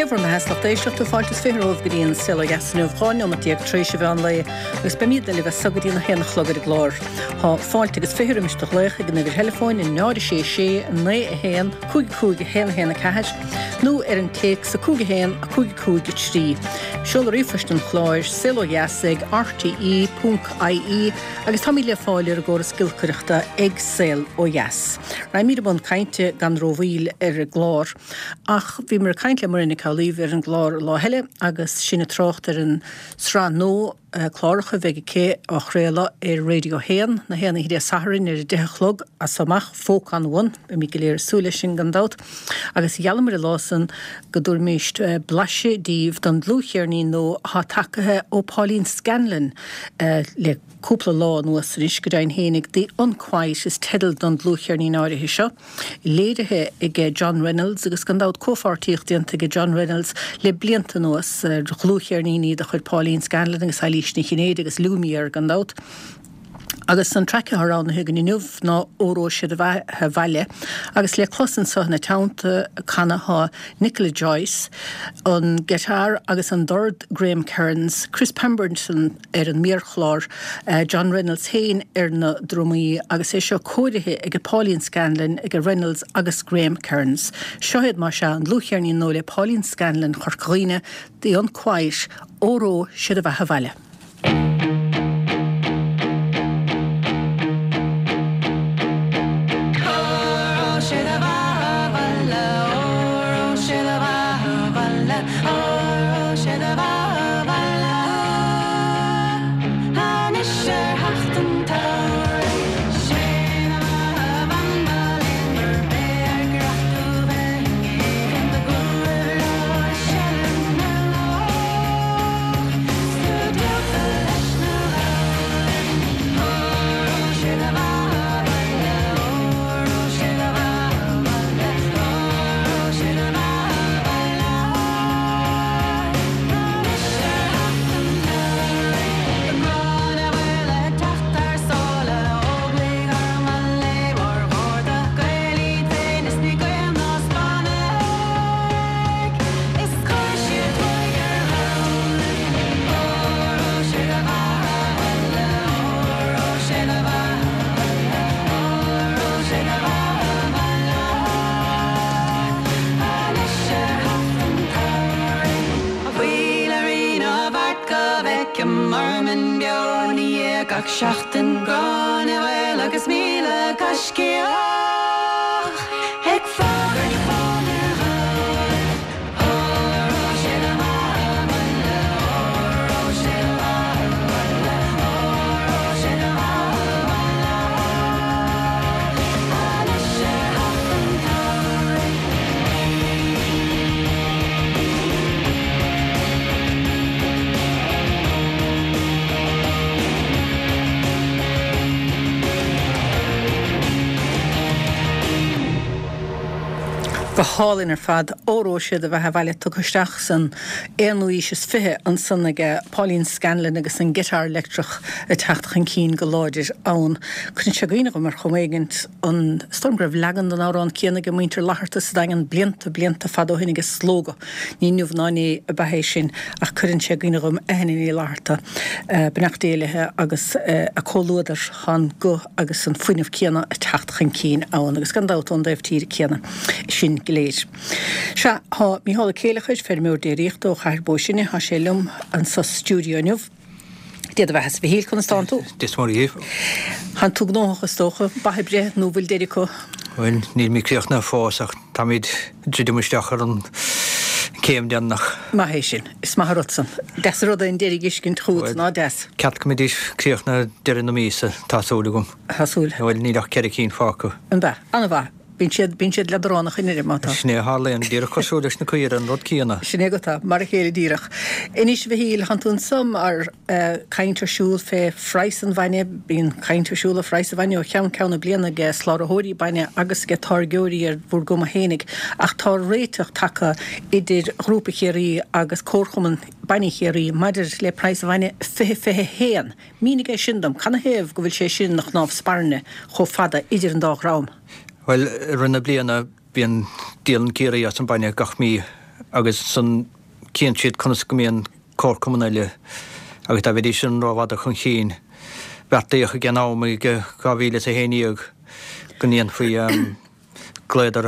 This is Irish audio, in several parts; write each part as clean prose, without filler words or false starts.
Dia bhur mbeatha is lucht éisteachta, fáilte is 20 romhaibh go dtí an Saol Ó Dheas inniu, 12 neomat tar éis an mheán lae agus beimídne libh as so go dtí an 1 a chlog ar an gclár. Tá fáilte agus 20 roimis do ghlaoch ag an uimhir theileafóin 0 6 6 9 1 5 5 1 1 4 nó ar an téacs 5 1 5 5 3. Seoladh ríomhphoist an chláir, saolodheas ag rte.ie agus táimid le fáil ar an gcóras giolcaireachta ag Saol Ó Dheas. Raghaimid i mbun cainte gan rómhoill ar an gclár ach bhíomar ag caint le Muireann Nic Amhlaoibh ar an gclár lá eile agus sinn ag trácht ar an sraith nua cláracha a bheidh aici á chraoladh ar Radio 1 na haon oíche Dé Sathairn ar a 10 a chlog as so amach, Folk on One. Beimid go léir ag súil leis sin gan dabht. Agus gheallamar an lá san go dtabharfaimíst blaiseadh díbh don dlúthcheirnín nua atá tagaithe ó Pauline Scanlon le cúpla lá anuas anois, go deimhin fhéinig, The Unquiet is teideal don dlúthcheirnín áirithe seo, léirithe aige John Reynolds agus gan dabht comhpháirtíocht déanta aige John Reynolds le blianta anuas ar dhlúthcheirníní de chuid Pauline Scanlon agus Eilís Ní Chinnéide agus Lumière gan dabht. Agus an traic atá roghnaithe againn inniu ná Óró Sé do Bheatha 'Bhaile agus le clos anso ina teannta ag canadh tá Nicola Joyce, an guitar agus an dord Graham Kearns, Chris Pemberton, ar an méarchlár, John Reynolds féin ar na drumaí agus é seo cóirithe aige Pauline Scanlon, aige Reynolds agus Graham Kearns. Seo iad, más ea, an dlúthcheirnín nua le Pauline Scanlon Chorca Dhuibhne, The Unquiet, Óró Sé do Bheatha 'Bhaile. Óró sé do bheatha 'bhaile, óró sé do bheatha 'bhaile, óró sé do bheatha 'bhaile. Anois ar theacht an tsamhraidh, sé do bheatha bhean ba léan gurb é ár gcreach do bheith i ngéibheann do ghlór bhreá seilm na laoch. 's tú díolta leis na Gabhlaibh, óró sé do bheatha 'bhaile, óró sé do bheatha 'bhaile, óró sé do bheatha 'bhaile. Anois ar theacht an tsamhraidh, tá Gráinne Mhaol ag teacht thar sáile, Óglaigh armtha léi mar ghárda, Gaeil iad féin is ní Gaeil ná Spáinnigh, is chuir siad tuaigh ar Ghabhlaibh, óró sé do bheatha 'bhaile, óró sé do bheatha 'bhaile, óró sé do bheatha 'bhaile. Anois ar theacht an tsamhraidh. A bhuí le Rí na bhFeart go bhfeicim Ormond beo ina dhiaidh gach seachtain, Gráinne Mhaol agus 1,000 gaiscíoch ag fógairt fáin ar Ghabhlaibh. Óró sé do bheatha 'bhaile, óró sé do bheatha 'bhaile, óró sé do bheatha 'bhaile. Anois ar theacht an tsamhraidh. Go hálainn ar fad. Óró sé do bheatha 'bhaile tugtha isteach san aonú aois is 20 ansan aige Pauline Scanlon agus an giotár leictreach ag teacht chun cinn go láidir ann. Cuireann sé i gcuimhne dhom ar chuma éigint an, is dóigh liom go raibh leagan den amhrán céanna ag muintir Fhlatharta sa Daingean blianta, blianta fada ó shin aige Slógadh. Ní inniu ná inné ab ea é sin ach cuireann sé i gcuimhne dhom Eithne Ní Fhlatharta, beannacht Dé léi, agus a comhluadar, tá an guth agus an fuinneamh céanna ag teacht chun cinn ann agus gan dabht ón dtaobh tíre céanna sinn go léir. Sea, tá Mícheál Ó Céileachair, feirmeoir déiríochta ó Chathair Bó Sine, tá sé liom anso sa stiúideo inniu. Dia do bheatha-sa, a Mhichíl, conas tánn tú? Dia is Muire dhaoibh. Tánn tú gnóthach is dócha, ba ag breith nó bhfuil deireadh acu? Bhuel, nílimid críochnaithe fós ach táimid ag druidim isteach ar an céim deireanach. Maith é sin. Is maith an rud san. Deas an rud é an deireadh a fheiscint chugat, ná deas? Ceart go mbeidís críochnaithe deireadh na míosa, tá súil agam. Tá súil. Bhuel, níl ach ceithre cinn fágtha. An ea? An-mhaith. Bíonn siad, bíonn siad leadránach i ndeireadh, má tá. Sin é a tharlaíonn, díreach cosúil leis na caoire, an rud céanna. Sin é agat é, mar a chéile díreach. Anois, a Mhichíl, thánn tú anso mar caint ar siúl fé phraghas an bhainne, bíonn caint ar siúl ar phraghas an bhainne ó cheann ceann na bliana ag slabhraitheoirí bainne agus ag táirgeoirí ar bhur gcuma fhéinig, ach tá réiteach tagtha idir Ghrúpa Chiarraí agus Comharchumann Bainne Chiarraí maidir le praghas an bhainne 2021. Mínigh é sin dom, canathaobh go bhfuil sé sin ina chnámh spairne chomh fada idir an dá dhream? Bhuel, i rith na bliana bíonn, díolann Ciarraí as an bainne gach mí. agus ansan cíonn siad conas go mbíonn comharchumann eile agus dá mbeidís sin rófhada chun chinn, beartaíodh ag an am i 2011 go ndéanfaí glaodar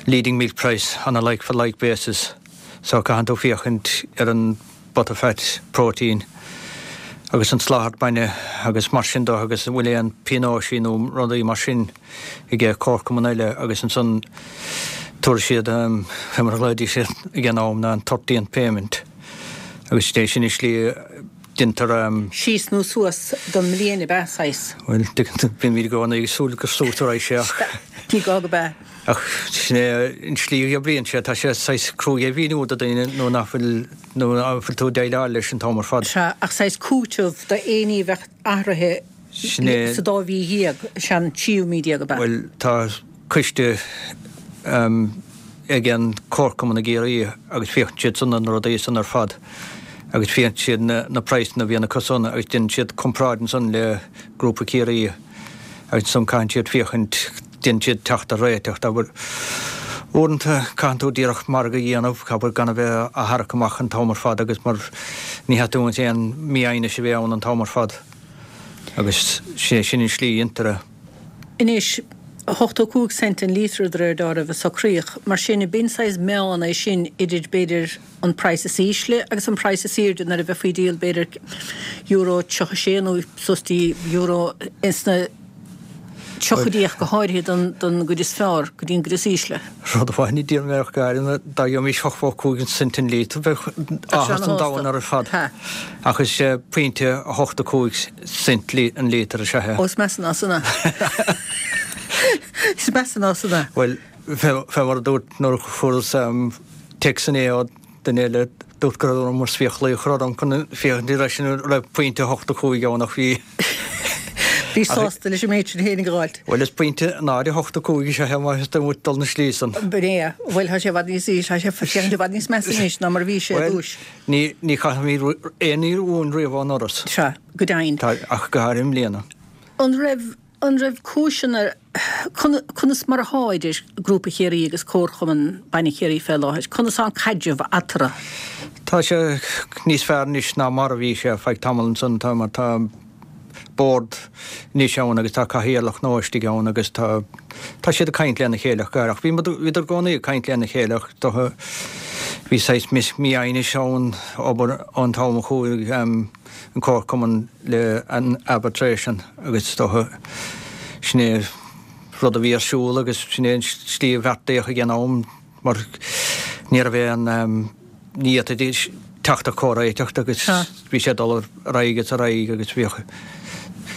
leading milk price on a like for like basis so caitheann tú féachaint ar an butterfat protein agus an soláthar bainne agus mar sin de agus an bhfuil aon pionóisí nó rudaí mar sin ag comharchumann eile agus ansan tabharfaidh siad fé mar a ghlaoidís siad ag an am ná an thirteenth payment agus é sin an slí a deintear Síos nó suas don mbliain ab ea, saghas? Bhuel, bímid i gcónaí ag súil gur suas a raghaidh sé ach. Ní gá go b'ea. Ach sin é an slí a oibríonn sé, tá sé saghas cruaidh a mhíniú do dhaoine nuair nach bhfuil, nuair nach bhfuil tú ag déileáil leis an t-am ar fad. Sea, ach saghas cúiteamh d'aon ní a bheadh athraithe Sin é. sa dá mhí dhéag, sea an tríú mí déag ab ea? Bhuel, tá coiste ag an Comharchumann i gCiarraí agus féachann siad san ar na rudaí san ar fad agus féachann siad na praghsanna a bhíonn acu san agus déanann siad comparáid ansan le Grúpa Ciarraí agus ansan caitheann siad féachaint, déanann siad teacht ar réiteach dá bhfuil. Uaireanta caitheann tú díreach margadh a dhéanamh, abair gan a bheith á tharrac amach an t-am ar fad agus mar ní theastaíonn aon mhífhoighnis a bheith ann an t-am ar fad agus sin an slí a dhéantar é. Anois, 85 cent an líotra de réir dealraimh a socraíodh. Mar sin, b'in saghas meán é sin idir, b'fhéidir, an praghas is ísle agus an praghas is airde nuair a bheifí ag díol, b'fhéidir, euro 36 nó suas dtí euro ins na tríochaidí ach go háirithe don gcuid is fearr go dtí an gcuid is ísle. Rud amháin a d'iarr mé ach go háirithe dá gheobhaimis 85 cent an líotra bheadh áthas an domhain ar fad. Ach is é pointe 85 cent an líotar is ea é. Ó is measa ná san é. Is measa ná san é. Bhuel, fé mar a dúirt nuair a fuaireas téacs inné ó duine eile, dúirt go raibh orm fiacla a chur orm chun féachaint ar ais an raibh pointe 85 ann ach bhí. Bhí sásta leis an méid sin féinig a dh'fháilt. Bhuel, is pointe 0.85 is ea é má theastaíonn uait dul na slí san. B'in é. Bhuel, tá sé i bhfad níos ísle, tá sé féachaint i bhfad níos measa anois ná mar a bhí sé ar dtúis. Ní, ní chaithimid aon ní uainn riamh ón ndoras. Sea, go deimhin. Tá, ach go háirithe i mbliana. An raibh, an raibh cúiseanna, conas mar athá idir Grúpa Chiarraí agus Comharchumann Bainne Chiarraí fé láthair? Conas tá an caidreamh eatarthu? Tá sé níos fearr anois ná mar a bhí sé feadh tamall ansan, tá, mar tá bord anois ann agus tá cathaoirleach nua istigh ann agus tá, tá siad ag caint lena chéile ach go háirithe. Ach bhí, bhíodar i gcónaí ag caint lena chéile ach do, bhí saghas mífhoighnis ann abair ón t-am a chuaigh an comharchumann le an arbitration agus is dócha sin é rud a bhí ar siúl agus sin é an slí a bheartaíodh ag an am mar ní raibh aon, ní fhéadfaidís teacht ar chomhréiteach agus bhí sé ag dul ar aghaidh is ar aghaidh agus bhíodh,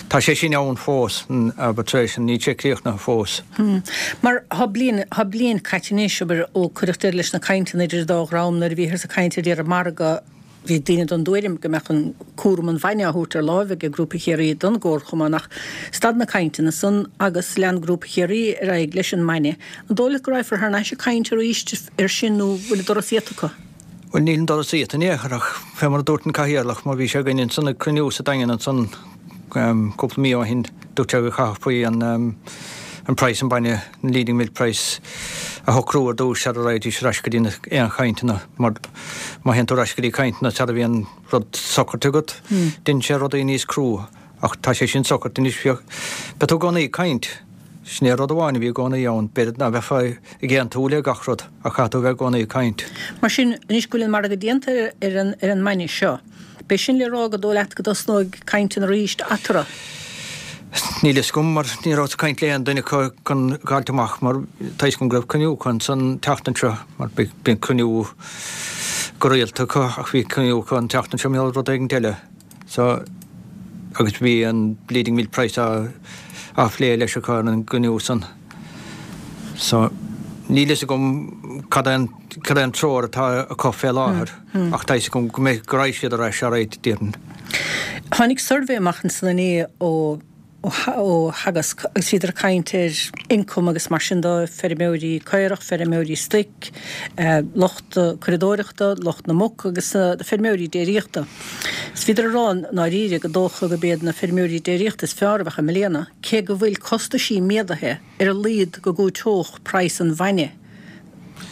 tá sé sin ann fós, an arbitration, níl sé críochnaithe fós. Mar tá bliain, tá bliain caite anois, abair, ó cuireadh deireadh leis na cainteanna idir an dá dhream nuair a bhíothas ag caint ar deireadh margadh, Bhí daoine den dtuairim go mbeadh an cúram an bhainne á thabhairt ar láimh ag Grúpa Chiarraí don gComharchumann ach stad na cainteanna san agus lean Grúpa Chiarraí ar aghaidh leis an mbainne. An dóigh leat go raghfar thar n-ais ag caint arís air sin nó bhfuil an doras iata acu? Bhuel níl an doras iata in aon chor ach fé mar a dúirt an Cathaoirleach mar bhí sé againn ansan ag cruinniú sa Daingean ansan cúpla mí ó shin dúirt sé go gcaithfí an an praghas an bainne, an leading milk price, a shocrú ar dtús sara raghaidís ar ais go dtí na aon chainteanna mar má théann tú ar ais go dtí cainteanna sara bhíonn rud socraithe agat, déanann sé rudaí níos crua. Ach tá sé sin socraithe anois, bheadh, beidh tú i gcónaí ag caint. Sin é rud amháin a bhí i gcónaí ann, b'fhéidir ná beifeá ag aontú le gach rud ach caithfidh tú a bheith i gcónaí ag caint. Mar sin, anois go bhfuil an margadh déanta ar an, ar an mbainne seo, B'é sin le rá gur dóigh leat go dtosnóidh cainteanna arís eatarthu? Níl fhios agam mar ní rabhas ag caint le aon duine acu chun dh'fháilt amach mar tá fhios agam go raibh cruinniú acu ansan an tseachtain seo mar bíonn cruinniú go rialta acu ach bhí cruinniú acu an tseachtain seo mar rud éigint eile so agus bhí an leading milk price á á phlé leis acu ar an gcruinniú san. So níl fhios agam cad é an cad é an treoir atá acu fé láthair. Ach tá fhios agam go mbeidh, go raghaidh siad ar ais alright, déarfainn. Tháinig suirbhé amach ansan inné ó ó Theagasc agus bhíodar ag caint ar ioncam agus mar sin de, feirmeoirí caorach, feirmeoirí stoic, lucht curadóireachta, lucht na muc agus na feirmeoirí déiríochta. Is bhíodar ag rá i ndáiríre gur dócha gurb iad na feirmeoirí déiríochta is fearr a bheadh i mbliana, cé go bhfuil costaisí méadaithe ar a laghad go gcúiteodh praghas an bhainne.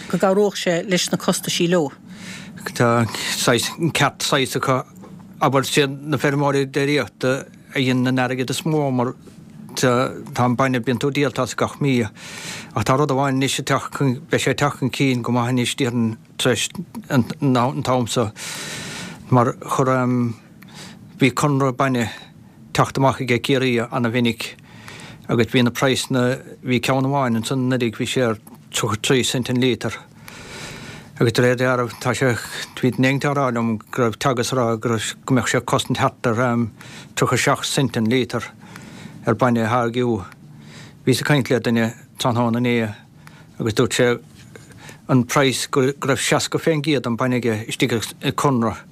go gcabhródh sé leis na costaisí leo. Tá saghas, an ceart saghas acu, abair, siad na feirmeoirí déiríochta a dhéanann an airgead is mó mar tá an bainne, bíonn tú ag díol as gach mí. Ach tá rud amháin anois ag teacht chun, beidh sé ag teacht chun cinn go maith anois déarfainn tar éis an t-am so mar chuir, bhí conradh bainne teacht amach aige Ciarraí ana-mhinic agus bhí na praghsanna, bhí ceann amháin ansan anuraidh, bhí sé ar 33 cent an líotar agus de réir dealraimh tá sé, bhí duine éigint á rá liom go raibh Teagasc a rá go raibh, go mbeadh sé ag cosaint thart ar 37 cent an líotar ar bainne a tháirgiú. Bhíos ag caint le duine tráthnóna inné agus dúirt sé an praghas go raibh 60% den bainne aige istigh i conradh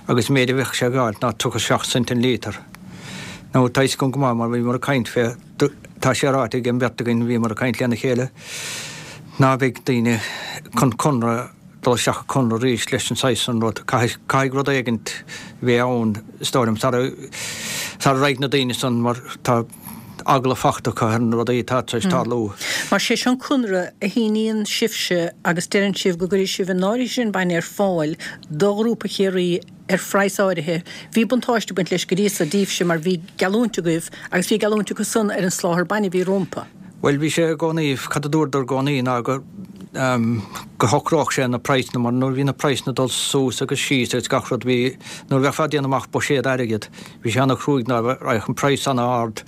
agus an méid a bheadh sé ag fháilt ná 37 cent an líotar. Now tá fhios agam go maith mar bhíomar ag caint fé, tá sé ráite ag an mbeirt againn, bhíomar ag caint lena chéile, ná beidh daoine chun conradh, dul isteach i conradh arís leis an saghas san rud. Caithfidh, caithfidh rud éigint bheith ann, is dóigh liom, sara, sara raghaidh na daoine san mar tá eagla fachta acu ar na rudaí atá tar éis tarlú. Mar sé seo an conradh a shíníonn sibhse agus deireann sibh go gcuirfidh sibh an áirithe sin bainne ar fáil do Ghrúpa Chiarraí ar phraghas áirithe. Bhí buntáiste ag baint leis go dtí so daoibhse mar bhí geallúint agaibh agus bhí geallúint acu san ar an soláthar bainne a bhí rompu. Bhuel, bhí sé i gcónaí, cad a dúradar i gcónaí ná go, go shocródh sé na praghsanna mar nuair a bhí na praghsanna ag dul suas agus síos agus gach rud bhí, nuair a bheifeá ag déanamh amach buiséad airgid, bhí sé ana-chruaidh ná raghadh an praghas ana-ard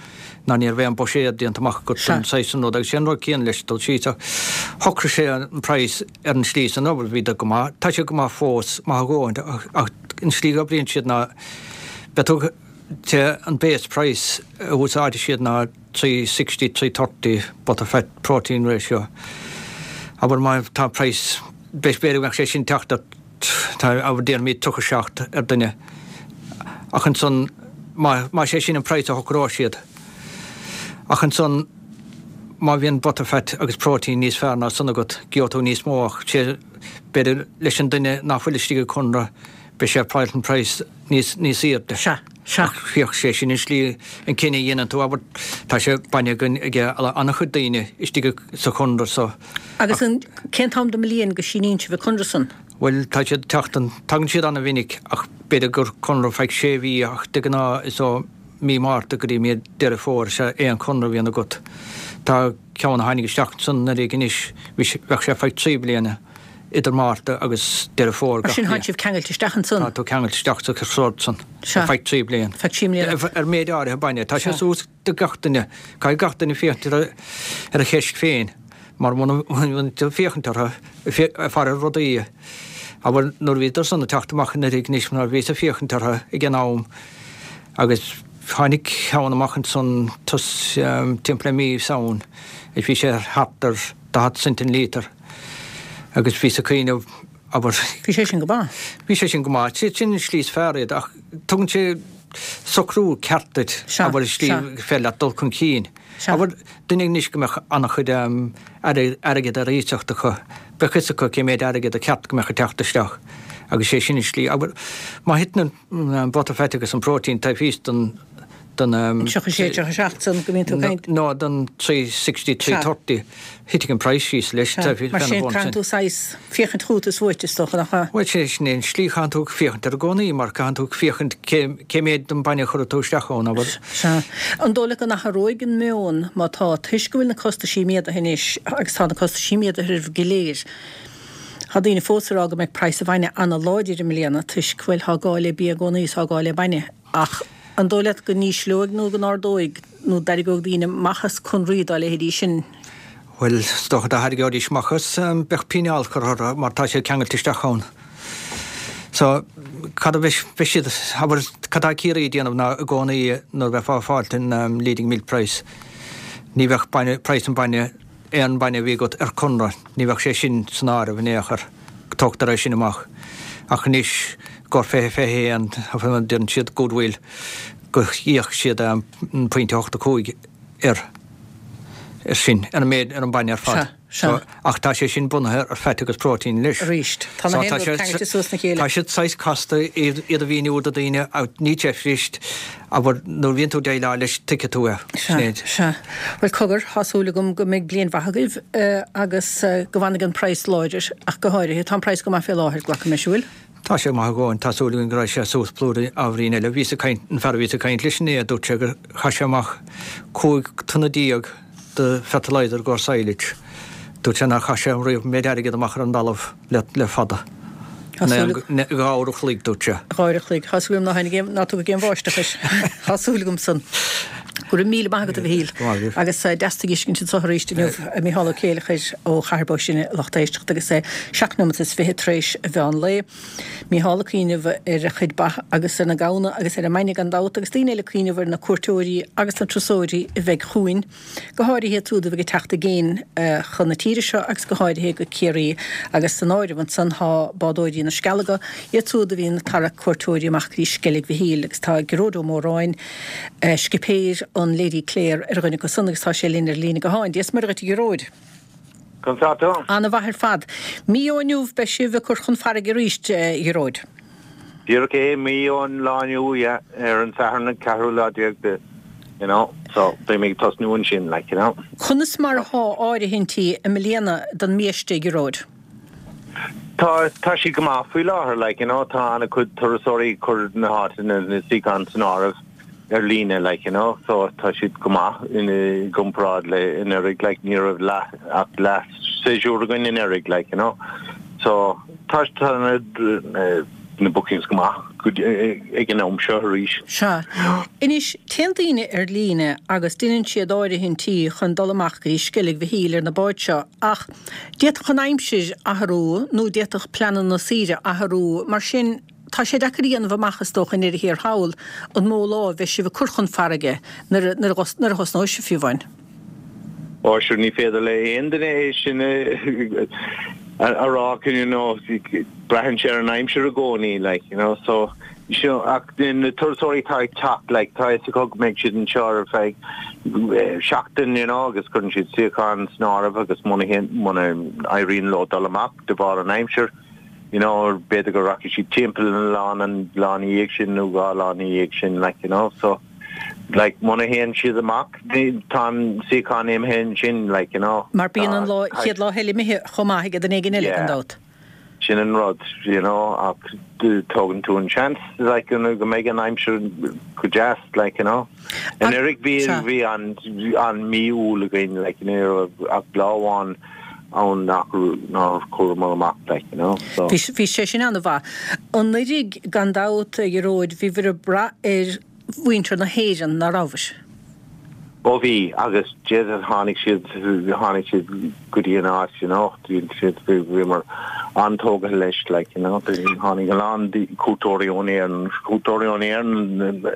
ná ní raibh aon buiséad déanta amach agat don saghas san rud agus sé an rud céanna leis dul síos ach shocraigh sé an praghas ar an slí san abair bhí go maith, tá sé go maith fós, maith a dhóthain ach an slí go oibríonn siad ná beidh tú, sé an base price a úsáidfidh siad ná 360, 330 butterfat protein ratio. Abair má tá praghas, b'fhéidir go mbeadh sé sin teacht ar, abair déarfaimid 37 ar duine. Ach ansan má, má sé sin an praghas a shocróidh siad. Ach ansan má bhíonn butterfat agus protein níos fearr ná san agat, gheobhaidh tú níos mó ach sé, b'fhéidir leis an duine nach bhfuil istigh i gconradh, beidh sé ag fáilt an praghas níos, níos airde. Sea. Sea. Ach féach, sé sin an slí, an cinneadh a dhéanann tú, abair, tá sé bainne againn ag an-chuid daoine istigh sa chonradh so. Agus an, cén t-am den mbliain go síníonn sibh an conradh san? Bhuel, tá siad ag teacht an, tagann siad an-mhinic ach b'fhéidir gur conradh feadh sé mhí ach de ghnáth is ó mí Márta go dtí mí Deireadh Fómhair is ea aon chonradh a bhíonn agat. Tá ceann a tháinig isteach ansan anuraidh anois, bhí sé, bheadh sé feadh trí bliana. idir Márta agus Deireadh Fómhair gach bliain. Mar sin, tánn sibh ceangailte isteach ansan? Tá tú ceangailte isteach sa sórt san ar feadh 3 bliain. Feadh 3 mbliana. Ar méid áirithe bainne. Tá sé suas do gach duine. Caithfidh gach duine féachaint ar a cheist féin mar muna bhfuil tú ag féachaint orthu, ag faire ar rudaí, abair nuair a bhíodar san ag teacht amach anuraidh anois mar bhíos ag féachaint orthu ag an am agus tháinig ceann amach ansan timpeall le mí Samhain is bhí sé thart ar 40 cent an líotar agus bhíos ag cuimhneamh, abair. Bhí sé sin go maith. Bhí sé sin go maith. Sin an slí is fearr iad ach tugann sé socrú ceart duit, abair, an slí féidir leat dul chun cinn. Abair, duine anois go mbeadh an-chuid airgead ar iasacht acu, bheadh fhios acu cé méid airgead a cheart go mbeadh ag teacht isteach agus sé sin an slí. Abair, má thiteann an butterfat agus an protein taobh thíos den, den. 36, 37 san go mbíonn tú ag caint. No, den 360, 330. Thitfidh an praghas síos leis. Sea, mar sin caitheann tú saghas féachaint chugat is uait is dócha, nach ea? Bhuel, sé sin é an slí, caitheann tú féachaint air i gcónaí mar caitheann tú féachaint cé, cé méid den bainne a chuirfidh tú isteach ann, abair. Sea. An dóigh leat go n-athróidh an meon má tá, toisc go bhfuil na costaisí méadaithe anois agus tá na costaisí méadaithe oraibh go léir, Tá daoine fós ag rá go mbeidh praghas an bhainne ana-láidir i mbliana toisc, bhuel, tá gá le bia i gcónaí is tá gá le bainne. Ach an dóigh leat go n-ísleoidh nó go n-ardóidh nó dtarraingeoidh daoine amach as conraí dá leithéidí sin? Bhuel, is dócha dá tharraingeoidís amach as, bheadh píneáil curtha orthu mar tá siad ceangailte isteach ann. So, cad a bheidh, beidh siad, abair, cad tá Ciarraí ag déanamh ná i gcónaí nuair a bheifeá ag fáilt an leading milk price, ní bheadh bainne, praghas an bainne, aon bainne a bhí agat ar conradh, ní bheadh sé sin san áireamh in aon chor, tógtar é sin amach. Ach anois, i gcomhair 20, 21, deireann siad goodwill, go íocfaidh siad an pointe 85 air, ar sin, ar an méid, ar an bainne ar fad. Sea. Sea. Ach tá sé sin bunaithe ar fat agus protein anois. Arís. Tá na haon rud ceangailte suas na chéile. Tá siad saghas casta iad a mhíniú do daoine ach ní deifríst, abair, nuair a bhíonn tú ag déileáil leis tuigfidh tú é. Sea, sea. Bhuel cogar, tá súil agam go mbeidh bliain mhaith agaibh agus go bhfanfaidh an praghas láidir ach go háirithe. Tá an praghas go maith fé láthair, glacaim leis, an bhfuil? Tá sé maith a dhóthain, tá súil againn go raghaidh sé suas blúire ábhairín eile. Bhíos ag caint, an fear a bhíos ag caint leis inné, dúirt sé gur chaith sé amach 15 tonna de fertilizer i gcomhair silage. Dúirt sé nár chaith sé riamh an méid airgid amach ar an dtalamh le fada. Tá súil agam. Dhá uair a chloig, dúirt sé. Dhá uair a chloig. Tá súil agam ná tháinig aon, ná tugadh aon bháisteach air. Tá súil agam san. Go raibh míle maith agat a Mhichíl. Go maith agaibh. Agus deas tú a fheiscint anseo arís inniu, a Micheál Ó Céileachair ó Chathair Bó Sine, lucht éisteachta agus é 7 nóimeat is 20 tar éis a mheán lae. Mícheál ag cuimhneamh ar a chuid ba agus ar na gamhna agus ar an mbainne gan dabht agus daoine eile ag cuimhneamh ar na cuairteoirí agus na turasóirí a bheidh chugainn, go háirithe iad siúd a bheidh ag teacht i gcéin chun na tíre seo agus go háirithe go Ciarraí agus san áireamh ansan tá bádóirí na Scealaga, iad siúd a bhíonn ag tarrac cuairteoirí amach go dtí Sceilg Mhichíl agus tá Gearóid Ó Móráin, scipéir an Lady Clare ar dhuine acu san agus tá sé linn ar líne gutháin. Dia is Muire dhuit a Ghearóid. Conas tá tú? Ana-mhaith ar fad. Mí ó inniu beidh sibh ag cur chun farraige arís, a Ghearóid. Díreach é, mí ón lá inniu, yeah, ar an Satharn an ceathrú lá déag de, you know, so beidh mé ag tosnú ansin, like, you know. Conas mar athá áirithintí i mbliana don mbiaiste, a Ghearóid? Tá, tá siad go maith faoi láthair, like, you know, tá an-chuid turasóirí ag cur na háiteanna, na suíocháin san áireamh ar líne, like, you know, so tá siad go maith in, i gcomparáid le anuraidh, like, ní raibh leath, ach leath séasúr againn anuraidh, like, you know, so tá, tá na, na, na bookings go maith go, ag an am seo arís. Sea. Anois, téann daoine ar líne agus deineann siad áirithintí chun dul amach go dtí Sceilg Mhichíl ar na báid seo ach, D'fhéadfadh an aimsir athrú nó d'fhéadfadh pleananna saoire athrú, mar sin tá sé deacair a dhéanamh amach is dócha i ndeireadh thiar thall an mó lá a bheidh sibh ag cur chun farraige nuair a thosnóidh sibh fiú amháin. Ó sure ní féidir le aon duine é sin a rá you know braitheann sé ar an aimsir i gcónaí like you know so Seo, ach na turasóirí atá ag teacht, like, tá a fhios acu go mbeidh siad anseo ar feadh seachtain, you know, agus cuireann siad suíochán san áireamh agus muna théann, muna éiríonn leo dul amach de bharr an aimsir, you know, b'fhéidir go rachaidh siad timpeall an oileán an lá ina dhiaidh sin nó dhá lá ina dhiaidh sin, like, you know, so, like, muna théann siad amach, tá an suíochán imithe ansin, like, you know. Mar bíonn an lá, chéad lá eile imithe chomh maith ag duine éigin eile, gan dabht. Sin an rud, you know, ach tógann tú an seans, like, you know, go mbeidh an aimsir go deas, like, you know. Anuraidh bhí, bhí an, an mí Iúil againn, like, ní raibh ach lá amháin ann nach, nár chuamar amach, like, you know, so. Bhí, bhí sé sin an-mhaith. Anuraidh, gan dabht, a Ghearóid, bhíobhair ag brath ar mhuintir na hÉireann, ná rabhabhair? Ó bhí, agus Jesus tháinig siad, tháinig siad go dtí an áit, you know, siad, bhíomar an-tógtha leis, like, you know, tháinig a lán cuairteoirí ón Éirinn, cuairteoirí ón Éirinn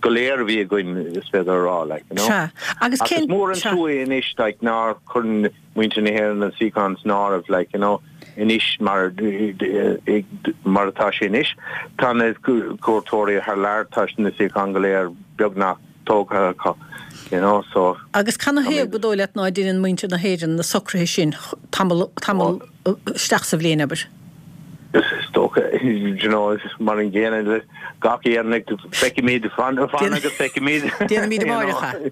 go léir a bhí againn, is féidir a rá, like, you know. Sea, agus cén, Ach is mór an trua anois, like, nár chuir muintir na hÉireann an suíochán san áireamh, like, you know, anois mar, mar atá sé anois, tá na cuairteoirí thar lear, tá na suíocháin go léir beagnach tógtha acu, you know, so. Agus canathaobh gur dóigh leat ná deineann muintir na hÉireann na socruithe sin tamall, tamall isteach sa bhliain, abair? Is dócha, you know, mar an gcéanna le gach Éireannach, feicfimid, fan agus feicfimid. Déanfaimid amárach é.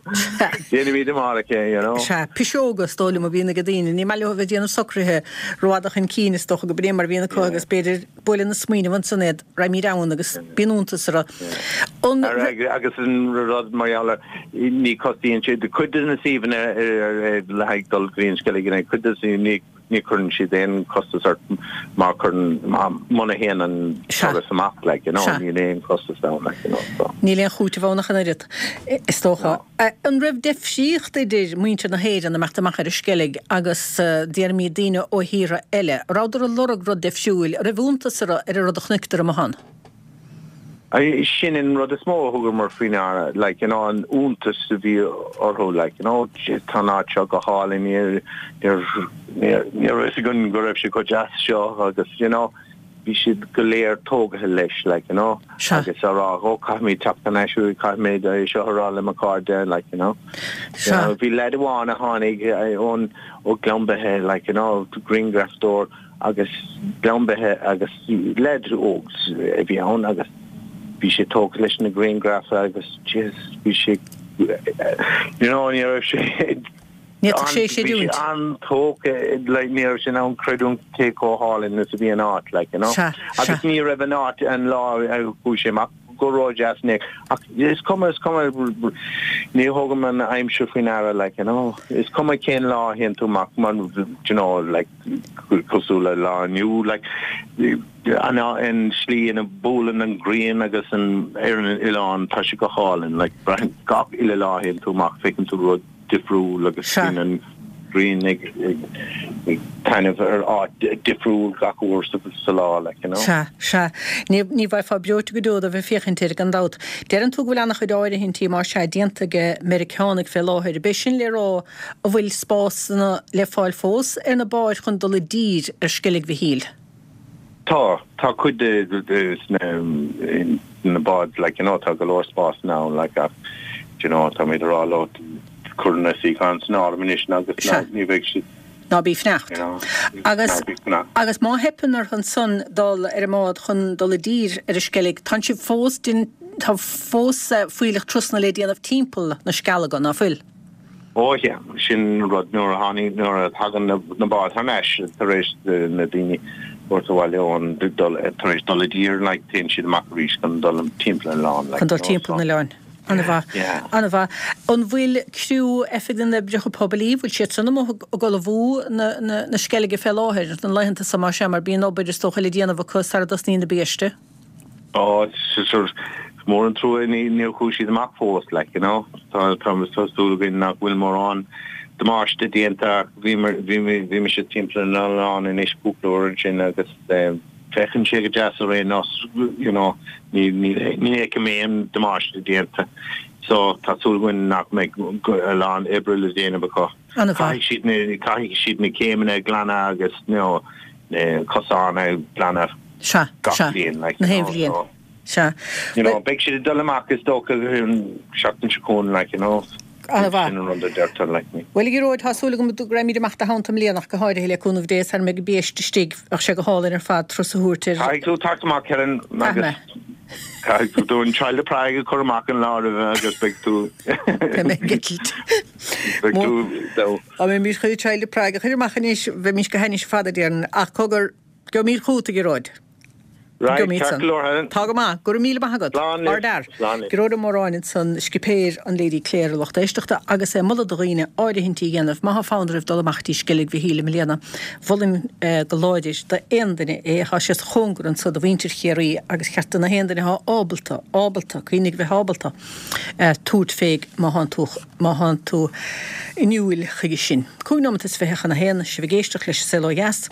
Déanfaimid amárach é, you know. Sea, piseoga is dóigh liom a bhíonn ag daoine, ní maith leo a bheith ag déanamh socruithe rófhada chun cinn, is dócha go b'in é mar a bhíonn acu agus b'fhéidir buaileann an smaoineamh ansan iad, raghaimid ann agus bíonn iontas orthu. An. Agus an rud mar gheall ar, ní chostaíonn sé, cuid de na suíomhanna le haghaidh dul go dtí an Sceilg, cuid de na, ní chuireann siad aon chostas ort má chuireann, muna théann an turas amach, like, you know, níl aon chostas ann, like, you know, so. Níl aon chúiteamh ann ach an oiread, is dócha. An raibh deifríocht idir muintir na hÉireann ag imeacht amach ar an Sceilg agus, déarfaimid, daoine ó thíortha eile? An rabhadar ag lorg rud deifriúil? An raibh iontas orthu ar an rud a chonaiceadar amuigh ann? Sin an rud is mó a thugamar faoi ndeara, like, you know, an iontas a bhí orthu, like, you know, tá an áit seo go hálainn, ní, ní, ní raibh fhios againn go raibh sé chomh deas seo agus, you know. bhí siad go léir tógaithe leis, like, you know, Sea. agus á rá, oh, caithfimid teacht thar n-ais, caithfimid é seo a rá le mo chairde, like, you know. You Sea. know, bhí leaid amháin a tháinig ón, ó Ghleann Beithe, like, you know, grianghrafadóir agus Gleann Beithe agus leaid óg a bhí ann agus bhí sé tógtha leis na grianghraif agus, jeez, bhí sé, you know, ní raibh sé, Ní fhéadfadh sé a Bhí sé chreidiúint. an-tógtha, like, ní raibh sé in ann creidiúint cé chomh hálainn is a bhí an áit, like, you know. Sea, Agus sea. ní raibh an áit an lá a chuaigh sé amach go ródheas in aon ach is cuma, is cuma, ní thógaim an aimsir faoi ndeara, like, you know. Is cuma cén lá a théann tú amach, mar, do you know, like, cosúil le lá inniu, like, an, an slí ina buaileann an ghrian agus an, ar an oileán, tá sé go hálainn, like, braitheann gach uile lá a théann tú amach, feiceann tú rud difriúil agus Sea. bíonn an ghrian ag taitneamh ar áit difriúil gach uair sa lá, like, you know. Sea, sea. Ní, ní bheifeá breoite go deo de bheith ag féachaint air, gan dabht. Deireann tú go bhfuil an-chuid áirithintí, más ea, déanta ag Meiriceánaigh fé láthair. Ab é sin le rá an bhfuil spásanna le fáil fós ar na báid chun dul i dtír ar Sceilg Mhichíl? Tá, tá cuid de na báid, like, you know, tá go leor spásanna ann, like, ach, do you know, táimid ag rá leo cur na suíocháin san áireamh anois agus Sea. ní bheidh siad, Ná bí ag fanacht. you know, Agus, ná bí ag fanacht. agus má theipeann orthu ansan dul ar an mbád chun dul i dtír ar an Sceilg, tánn sibh fós, tá fós fuílleach turasanna le déanamh timpeall na Scealaga, ná fuil? Ó yeah, sin an rud, nuair a tháinig, nuair a thagann na báid thar n-ais tar éis na daoine thabhairt abhaile ón, dul, tar éis dul i dtír, like, téann siad amach arís chun dul timpeall an oileáin, like, Chun dul timpeall an oileáin. An-mhaith. Yeah. An-mhaith. An bhfuil criú Oifig na nOibreacha Poiblí, bhfuil siad san amuigh ag ullmhú na, na, na Sceilge fé láthair, na laethanta so, más ea, mar bíonn obair is dócha le déanamh acu sara dtosnaíonn na biaiste? Ó, sure, is mór an trua níor chuaigh siad amach fós, like, you know. Tá, tá, tá súil againn nach bhfuil mórán damáiste déanta ach bhí, bhí, bhí mise timpeall an oileáin anois cúpla uair ansin agus féachann sé go deas ar aon nós, you know, ní, ní, ní fheicim aon damáiste déanta. So, tá súil againn nach mbeidh a lán oibre le déanamh acu. An-mhaith. Caithfidh siad na, caithfidh siad na céimeanna a ghlanadh agus, you know, na cosáin a ghlanadh. Sea, gach sea. bliain, like, Na you haon know, bhliain. so, Sea. you know, beidh siad ag dul amach is dócha an seachtain seo chugainn, like, you know, An-mhaith. sin an rud a deirtear, like, me. Bhuel, a Ghearóid, tá súil agam go raghaimid amach do theannta i mbliana ach go háirithe, le cúnamh Dé, sara mbeidh an biaiste istigh. Bheadh sé go hálainn ar fad turas a thabhairt ar. Caithfidh tú teacht amach, Helen, Caithfidh agus mé. caithfidh tú do an Child of Prague a chur amach an lá roimhe agus beidh tú Beidh mé ag eitilt. beidh tú, so. Dá mbeimis chun Child of Prague a chur amach anois, bheimis go hainnis ar fad, a déarfainn. Ach cogar, Gheobhaimid chugat, a Ghearóid. Right, Gheobhaimid ceart san. go leor, Helen. Tá go maith. Go raibh míle maith agat. Slán libh. Ardfhear. Slán libh. Gearóid Ó Móráin ansan, scipéir an Lady Clare, a lucht éisteachta, agus é ag moladh do dhaoine áirithintí a dhéanamh má tá fonn oraibh dul amach dtí Sceilg Mhichíl i mbliana. Mholfainn go láidir d'aon duine é. Tá sé sa chóngar anso do mhuintir Chiarraí agus cheart do na haon duine atá ábalta, ábalta, cuimhnigh bheith ábalta, tabhairt fé má thánn tú, má thánn tú inniúil chuige sin. 25 nóimeat chun a haon, sibh ag éisteacht leis an Saol Ó Dheas.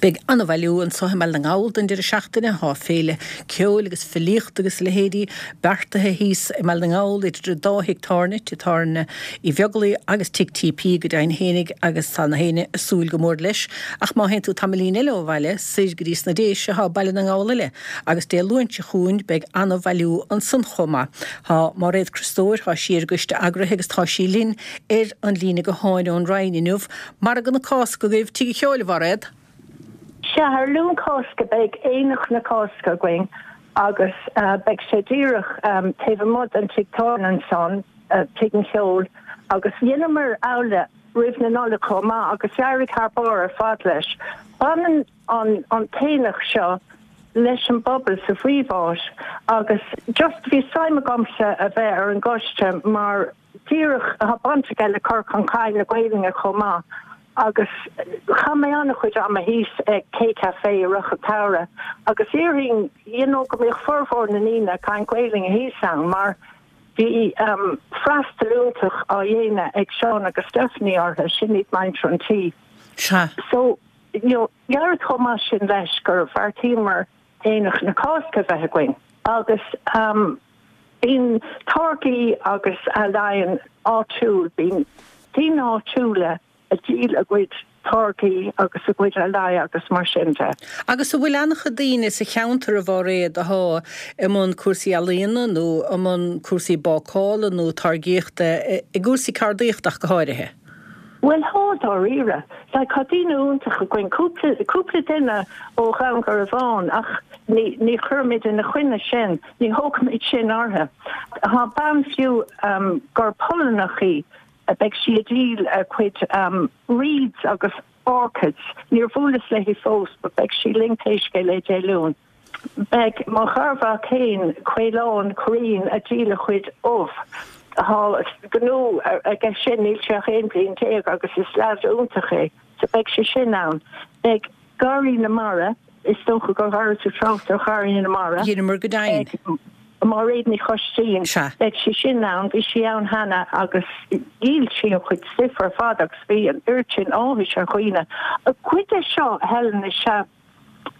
Beidh an-bhailiú anso i mBaile na nGall don deireadh seachtaine. Tá féile ceoil agus filíochta agus a leithéidí beartaithe thíos i mBaile na nGall idir an dá thigh tábhairne, Tigh Tábhairne Uí Bheaglaoich agus Tigh TP go deimhin fhéinig agus tá na héinne ag súil go mór leis. Ach má théann tú tamaillín eile ó bhaile, soir go dtí sna Déise, tá Baile na nGall eile agus Dé Luain seo chugainn beidh an-bhailiú ansan chomh maith. Tá Máiréad Criostóir, tá sí ar an gcoiste eagraithe agus tá sí linn ar an líne gutháin ón Rinn inniu. Margadh na Cásca agaibh Tigh an Cheoil, a Mhairéad? Sea, ar Luan Cásca beidh Aonach na Cásca againn agus beidh sé díreach taobh amuigh den tigh tábhairne ansan, Tigh an Cheoil, agus dheineamar amhlaidh roimh na Nollag chomh maith agus d'éirigh thar barr ar fad leis. Baineann an t-aonach seo leis an bpobal sa phríomháit agus just bhí suim agamsa a bheith ar an gcoiste mar Díreach, tá baint aige le cur chun cinn na Gaelainne chomh maith agus chaith mé an-chuid ama thíos ag K Café i rith an tsamhraidh agus déarfainn you know go mbíodh formhór na ndaoine ag caint Gaelainne thíos ann mar bhí freastal iontach á dhéanamh ag Seán agus Stephanie orthu, sin iad muintir an tí. Sea. So, you know, d'éirigh chomh maith sin leis gur bheartaíomar Aonach na Cásca a bheith againn agus bíonn táirgí agus ealaíon áitiúil, bíonn daoine áitiúla ag díol a gcuid. táirgí agus a gcuid ealaí agus mar sin de. Agus an bhfuil an-chuid daoine sa cheantar, a Mháiréad, athá i mbun cúrsaí ealaíona nó i mbun cúrsaí bácála nó táirgíochta, i gcúrsaí ceardaíochta ach go háirithe? Bhuel thá, dáiríre. Like tá daoine iontacha againn, cúpla, cúpla duine ó Dhún Garbhán ach ní, ní chuirimid ina choinne sin, ní thógfaimid sin orthu. Tá bean fiú gur Polannach í, beidh sí ag díol a cuid reeds agus orchids, níor bhuaileas léi fós but beidh sí linn pé scéal é Dé Luain. Beidh mo gharmhac fhéin, Caolán Curraoin, a' díol a chuid ubh. Tá gnó aige sin, níl sé ach 11 bliain agus is leaid iontach é, so beidh sé sin ann. Beidh Garraí na Mara, is dócha gur dhera tú trácht ar Gharraí na Mara. Dheineamar go deimhin. Beidh Máiréad Ní Choistín, Sea. beidh sí sin ann, bhí sí ann cheana agus dhíol sí a chuid stuif ar fad agus bhí an oiread sin áthais ar dhaoine. Cuid de seo, Helen, is ea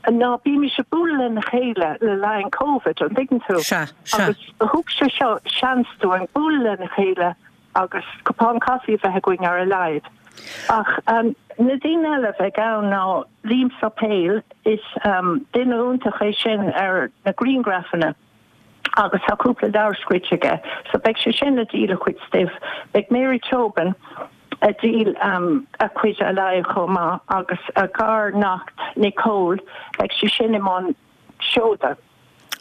ná bímis ag bualadh lena chéile le linn Covid, an dtuigeann tú? Sea, sea. Agus thug sé seo seans dúinn bualadh lena chéile agus cupán caife a bheith againn ar a laghad. Ach na daoine eile a bheidh ann ná Liam Suipéil, is duine iontach é sin ar na grianghrafanna agus tá cúpla leabhar scríte aige, so beidh sé sin ag díol a chuid stuif. Beidh Mary Tobin ag díol a cuid ealaí chomh maith agus a gar-neacht Nicole, beidh sí sin i mbun seoda.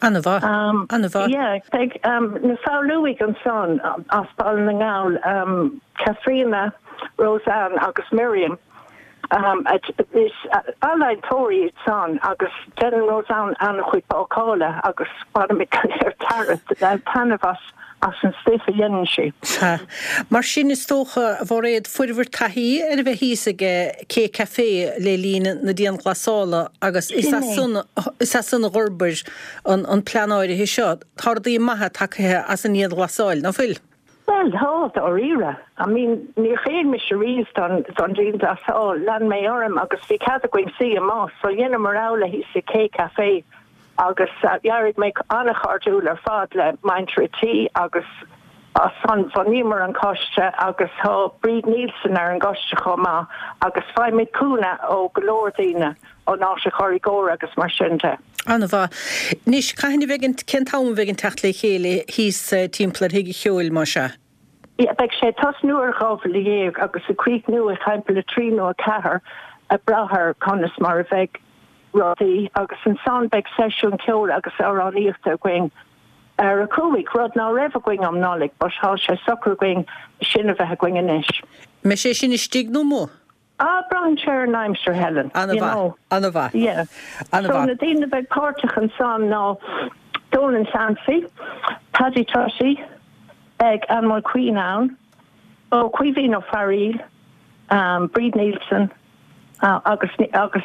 An-mhaith, an-mhaith. Yeah, beidh na Foghlúigh ansan as Baile na nGall, Caitríona, Roseanne agus Miriam. Is ealaíontóirí iad san agus déanann Roseanne an-chuid bácála agus bainimid go léir taitneamh as as an stuif a dhéanann sí. Sea. Mar sin, is dócha, a Mhairéad, fuair bhur taithí ar a bheith thíos ag K Café le linn na dianghlasála agus is as san is as san a d'fhorbair an plean áirithe seo. Tá rudaí maithe tagtha as an ndianghlasáil, ná fuil? Bhuel, tá, dáiríre. I mean, níor chéil mise riamh don don dianghlasáil. Lean mé orm agus bhí cead againn suí amuigh, so dheineamar amhlaidh thíos i K Café agus d'éirigh mé an-chairdiúil ar fad le muintir an tí agus as san bhunaíomar an coiste agus tá Bríd Nielsen ar an gcoiste chomh maith agus faighimid cúnamh ó go leor daoine. ón Áise Chorraí Gór agus mar sin de. An-mhaith. Anois, cathain a bheidh an, cén t-am a bheidh an teacht le chéile thíos timpeall ar Thigh an Cheoil, más ea? Yeah, beidh sé ag tosnú ar 12:20 agus ag críochnú ag timpeall a trí nó a ceathair ag brath ar conas mar a bheidh rudaí agus ansan beidh seisiún ceoil agus amhránaíochta againn ar a cúig, rud ná raibh againn um Nollaig but tá sé socair againn sin a bheith againn anois. Mbeidh sé sin istigh nó amuigh? Ah, braitheann sé ar an aimsir, Helen. You An-mhaith, know. an-mhaith, Yeah. So an-mhaith. na daoine a bheidh páirteach ansan ná Donal Clancy, Paddy Tutty, beidh Anne Mulqueen ann, ó Caoimhín Ó Fearaíl, um, Bríd Nielsen, uh, agus agus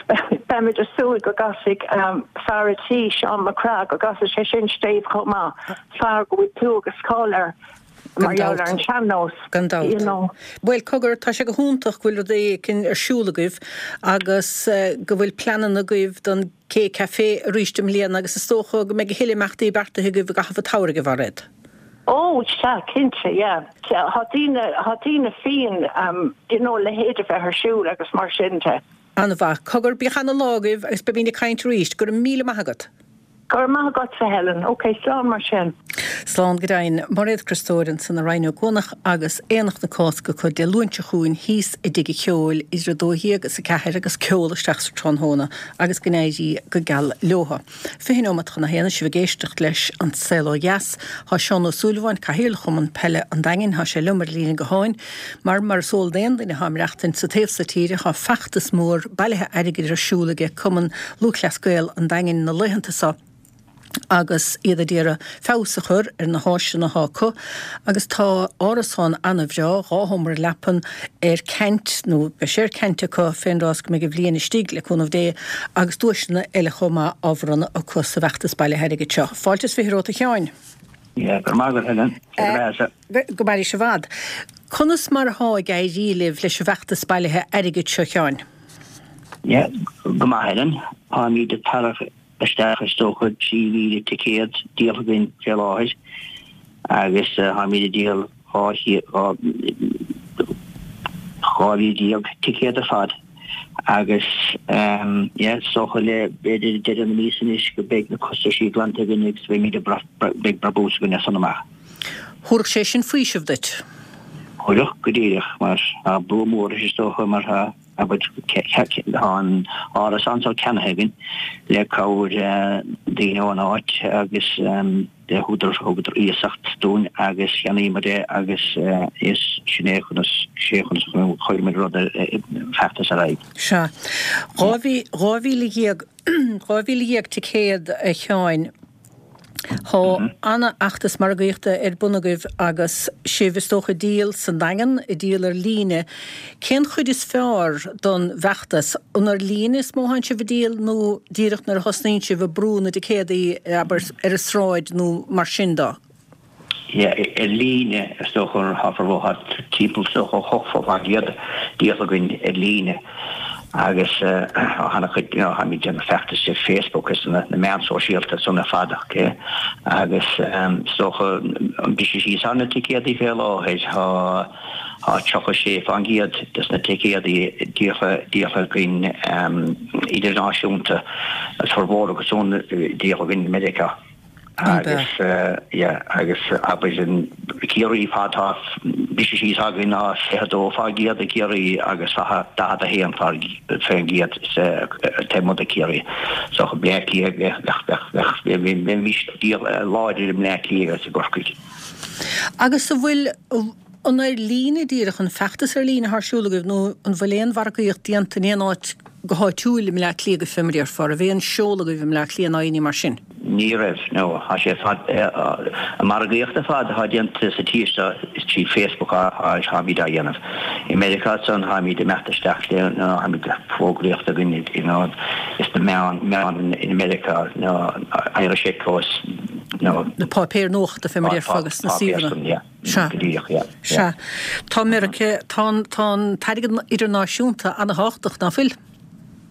beimid ag súil go gcasfaidh um, fear a tí, Seán Mac Craith, go gcasfaidh sé sin stéibh chomh maith, fear go bhfuil clú agus cáil air. Gan Mar gheall dabht. ar an sean-nós, Gan dabht. you know. Bhuel, cogar, tá sé go hiontach go bhfuil rud éicint ar siúl agaibh agus go bhfuil pleananna agaibh don K Café arís i mbliana agus is dócha go mbeidh a thuilleadh imeachtaí beartaithe agaibh i gcaitheamh an tsamhraidh, a Mhairéad. Ó, sea, cinnte, yeah. Tá daoine, tá daoine fiáin, you know, a leithéid a bheith ar siúl agus mar sin de. An-mhaith. Cogar, bíodh ana-lá agaibh agus beimid ag caint arís. Go raibh míle maith agat. Go raibh maith agatsa, Helen. Ok, slán mar sin. Slán go deimhin. Mairéad Criostóir ansan i Rinn Ó gCuanach agus Aonach na Cásca acu Dé Luain seo chugainn thíos i dTigh an Cheoil idir 12 agus 4 agus ceol isteach sa tráthnóna agus go n-éirí go geal leotha. 20 neomat chun a haon is sibh ag éisteacht leis An Saol Ó Dheas. Tá Seán Ó Súilleabháin, Cathaoirleach Chumann Peile an Daingin, tá sé liom ar líne gutháin. Mar, mar is eol d'aon duine atá ag maireachtaint sa taobh so tíre, tá feachtas mór bailithe airgid ar siúl aige Cumann Lúthchleas Gael an Daingin na laethanta so agus iad ag iarraidh feabhas a chur ar na háiseanna atá acu agus tá árasán ana-bhreá, dhá sheomra leapan, ar ceant, nó beidh sé ar ceant acu fén dtráth is go mbeidh an bhliain istigh, le cúnamh Dé, agus duaiseanna eile chomh maith á bhronnadh acu sa bhfeachtas bailithe airgid seo. Fáilte is 20 romhat a Sheáin. Yeah, go raibh maith agat, Helen. Sé do bheatha-sa. Go mairís i bhfad. Conas mar athá ag éirí libh leis an bhfeachtas bailithe airgid seo, Sheáin? Yeah, go maith, Helen. Táimid ag tarrac isteach is dócha 3,000 ticéad díolta againn fé láthair agus táimid ag díol 12,000 ticéad ar fad. Agus yeah, is dócha le b'fhéidir deireadh na míosa anois go beidh na costaisí glanta againn agus beimid ag beidh brabús againn as san amach. Thabharfadh sé sin faoiseamh duit? Thabharfadh, go díreach, mar tá brú mór is dócha mar tá abair tá an árasán so ceannaithe againn le cabhair daoine ón áit agus le húdar thugadar iasacht dúinn agus cheannaíomar é agus is sin é conas sé conas a chuireamar rud ar feachtas ar aghaidh. Sea. 12,000 12,000 ticéad a Sheáin. Tá ana-fheachtas margaíochta ar bun agaibh agus sibh is dócha ag díol sa Daingean, ag díol ar líne. Cén chuid is fearr don bhfeachtas? An ar líne is mó atánn sibh ag díol nó díreach nuair a thosnaíonn sibh ag brú na dticéadaí, abair, ar an sráid nó mar sin de? Yeah, ar líne is dócha tá formhór, tá timpeall is dócha 80% díolta againn ar líne agus tá ana-chuid, you know, táimid ag déanamh feachtais ar Facebook is na meáin sóisialta san ar fad, ok? Agus is dócha an briseadh síos ar na ticéadaí fé láthair, tá tá 36% des na ticéadaí díolta díolta againn idirnáisiúnta, formhór acu san díolta againn i Meiriceá. Agus yeah agus abair in Ciarraí fad tá briseadh síos againn ná 22% i gCiarraí agus 41% taobh amuigh de Ciarraí. So Bleá Cliath bheadh bheadh bheadh bheimis láidir i mBleá Cliath agus i gCorcaigh. Agus an bhfuil an ar líne díreach an feachtas ar líne atá ar siúl agaibh nó an bhfuil aon mhargaíocht déanta in aon áit go háitiúil i mBleá Cliath agaibh fé mar a déarfá, an raibh aon seoladh agaibh i mBleá Cliath ná aon ní mar sin? Ní raibh, no. Tá sé ar fad, an margaíocht ar fad atá déanta sa tír seo is trí Facebook a tháimid á dhéanamh. I Meiriceá ansan táimid ag imeacht isteach le, you know, táimid fógraíocht againn, you know, is na meáin, meáin in Meiriceá, you know, Irish Echo is, you know. Na páipéir nuachta fé mar a déarfá agus na suíomhanna. Sea. Go díreach, yeah. Sea. Tá Meiriceá, tá an, tá an t-airgead idirnáisiúnta ana-thábhachtach, ná fuil?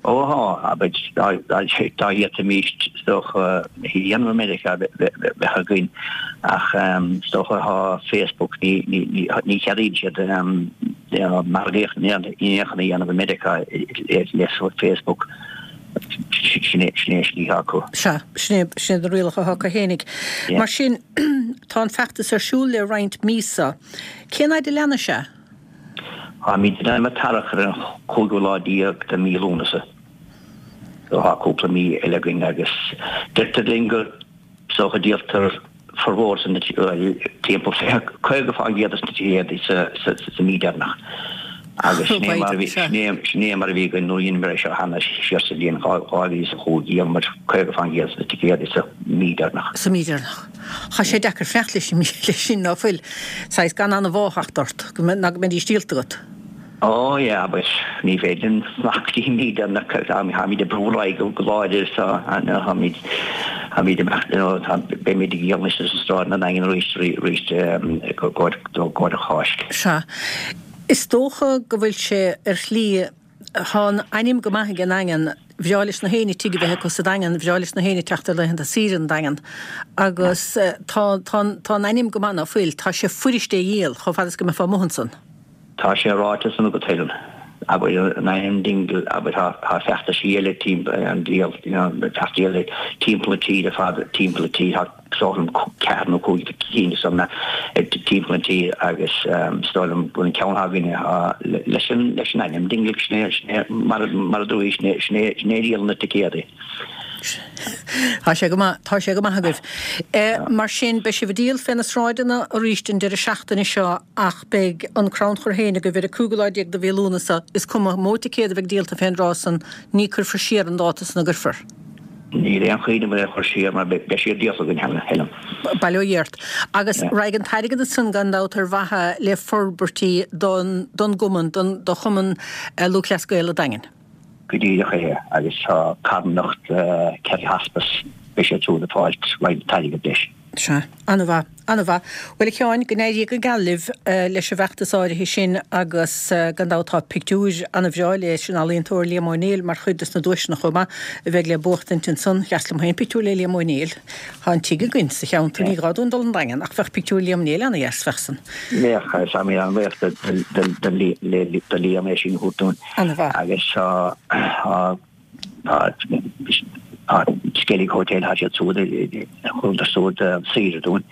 Ó tá, abair, dá, dá, dá bhféadfaimis, is dócha, a dhéanamh i Meiriceá, bheadh againn, ach is dócha tá Facebook, ní, ní, ní, ní cheadaíonn siad margaíocht in aon chor a dhéanamh i Meiriceá le Facebook. Sin é an slí atá acu. Sea, sin é, sin iad na rialacha atá acu fhéinig. Mar sin, tá an feachtas ar siúl le roinnt míosa. Cén fhaid a leanfaidh sé? Táimid in ainm a tarrac ar an chúigiú lá déag de mí Lúnasa. So tá cúpla mí eile againn agus deirtear linn gur is dócha díoltar formhór de na timpeall 50% des na ticéadaí sa mí deireanach. Agus sin é mar a bhí, sin é mar a bhí againn nuair a dheineamar é seo cheana siar sa bhliain 2005, dhíolamar 50% des na ticéadaí sa mí deireanach. Sa mí deireanach. Tá sé deacair fanacht leis sin, ná fuil? Saghas gan an-mhádh a theacht ort, ná go mbeidís díolta agat. Ó yeah, but ní féidir linn fanacht go dtí an mí deireanach, táimid ag brú ar aghaidh go láidir so táimid, táimid amach, you know, tá, beimid ag díol anois ar sráid an Daingin arís, arís i gcomhair, i gcomhair an Cháisc. Sea. Is dócha go bhfuil sé ar shlí, tá an ainm go maith ag an nDaingean, bhreá leis na héinne tigh a bheith acu sa Daingean, bhreá leis na héinne teacht ar laethanta saoire an Daingean agus tá, tá, tá an ainm go maith ná fuil, tá sé fuirist é a dhíol chomh fada is go mbeifeá amuigh ansan. Tá sé ráite san agat Helen. Abair an ainm Dingle, abair tá feachtaisí eile timpeall an díol, you know, feachtaisí eile timpeall na tíre fad, timpeall na tíre, tá is dóigh liom ceathair nó cúig cinn de san timpeall na tíre agus is dóigh liom go bhfuil an ceann againne leis an leis an ainm Dingle sin é sin é mar mar a dúirt sin é sin é sin é a dhíolann na ticéadaí. Tá sé go maith, tá sé go maith agaibh. Mar sin, beidh sibh ag díol fé na sráideanna arís an deireadh seachtaine seo ach beidh an crannchur féin agaibh ar an cúigiú lá déag de mhí Lúnasa. Is cuma an mó ticéad a bheidh díolta fén dtráth san, ní cuirfear siar an dáta san an gcuirfear? Níl aon chaoi liom é a chur siar mar beidh siad díolta againn cheana, Helen. Bail ó Dhia ort. Agus raghaidh an t-airgead san gan dabht ar mhaithe le forbairtí don don gcumann, don do Chumann Lúthchleas Gael an Daingin. Go díreach é, agus tá carthanacht Kerry Hospice, beidh siad siúd ag fáilt roinnt airgid leis. Sea. An-mhaith. An-mhaith. Bhuel, a Sheáin, go n-éirí go geal libh leis an bhfeachtas áirithe sin agus gan dabht tá pictiúir an-bhreá leis an ealaíontóir Liam Ó Néill mar chuid des na duaiseanna chomh maith a bheidh le buachtaint ansan. Dheas liom féin pictiúr le Liam Ó Néill. Tá an tigh againn sa cheantar, ní gá dúinn dul 'on Daingean ach bheadh pictiúr Liam Néill an-dheas, bheadh san. Bheadh, agus táimid an-bhuíoch do Liam é sin a thabhairt dúinn. An-mhaith. Agus tá Tá Skellig Hotel, tá siad siúd, thugadar siúd saoire dúinn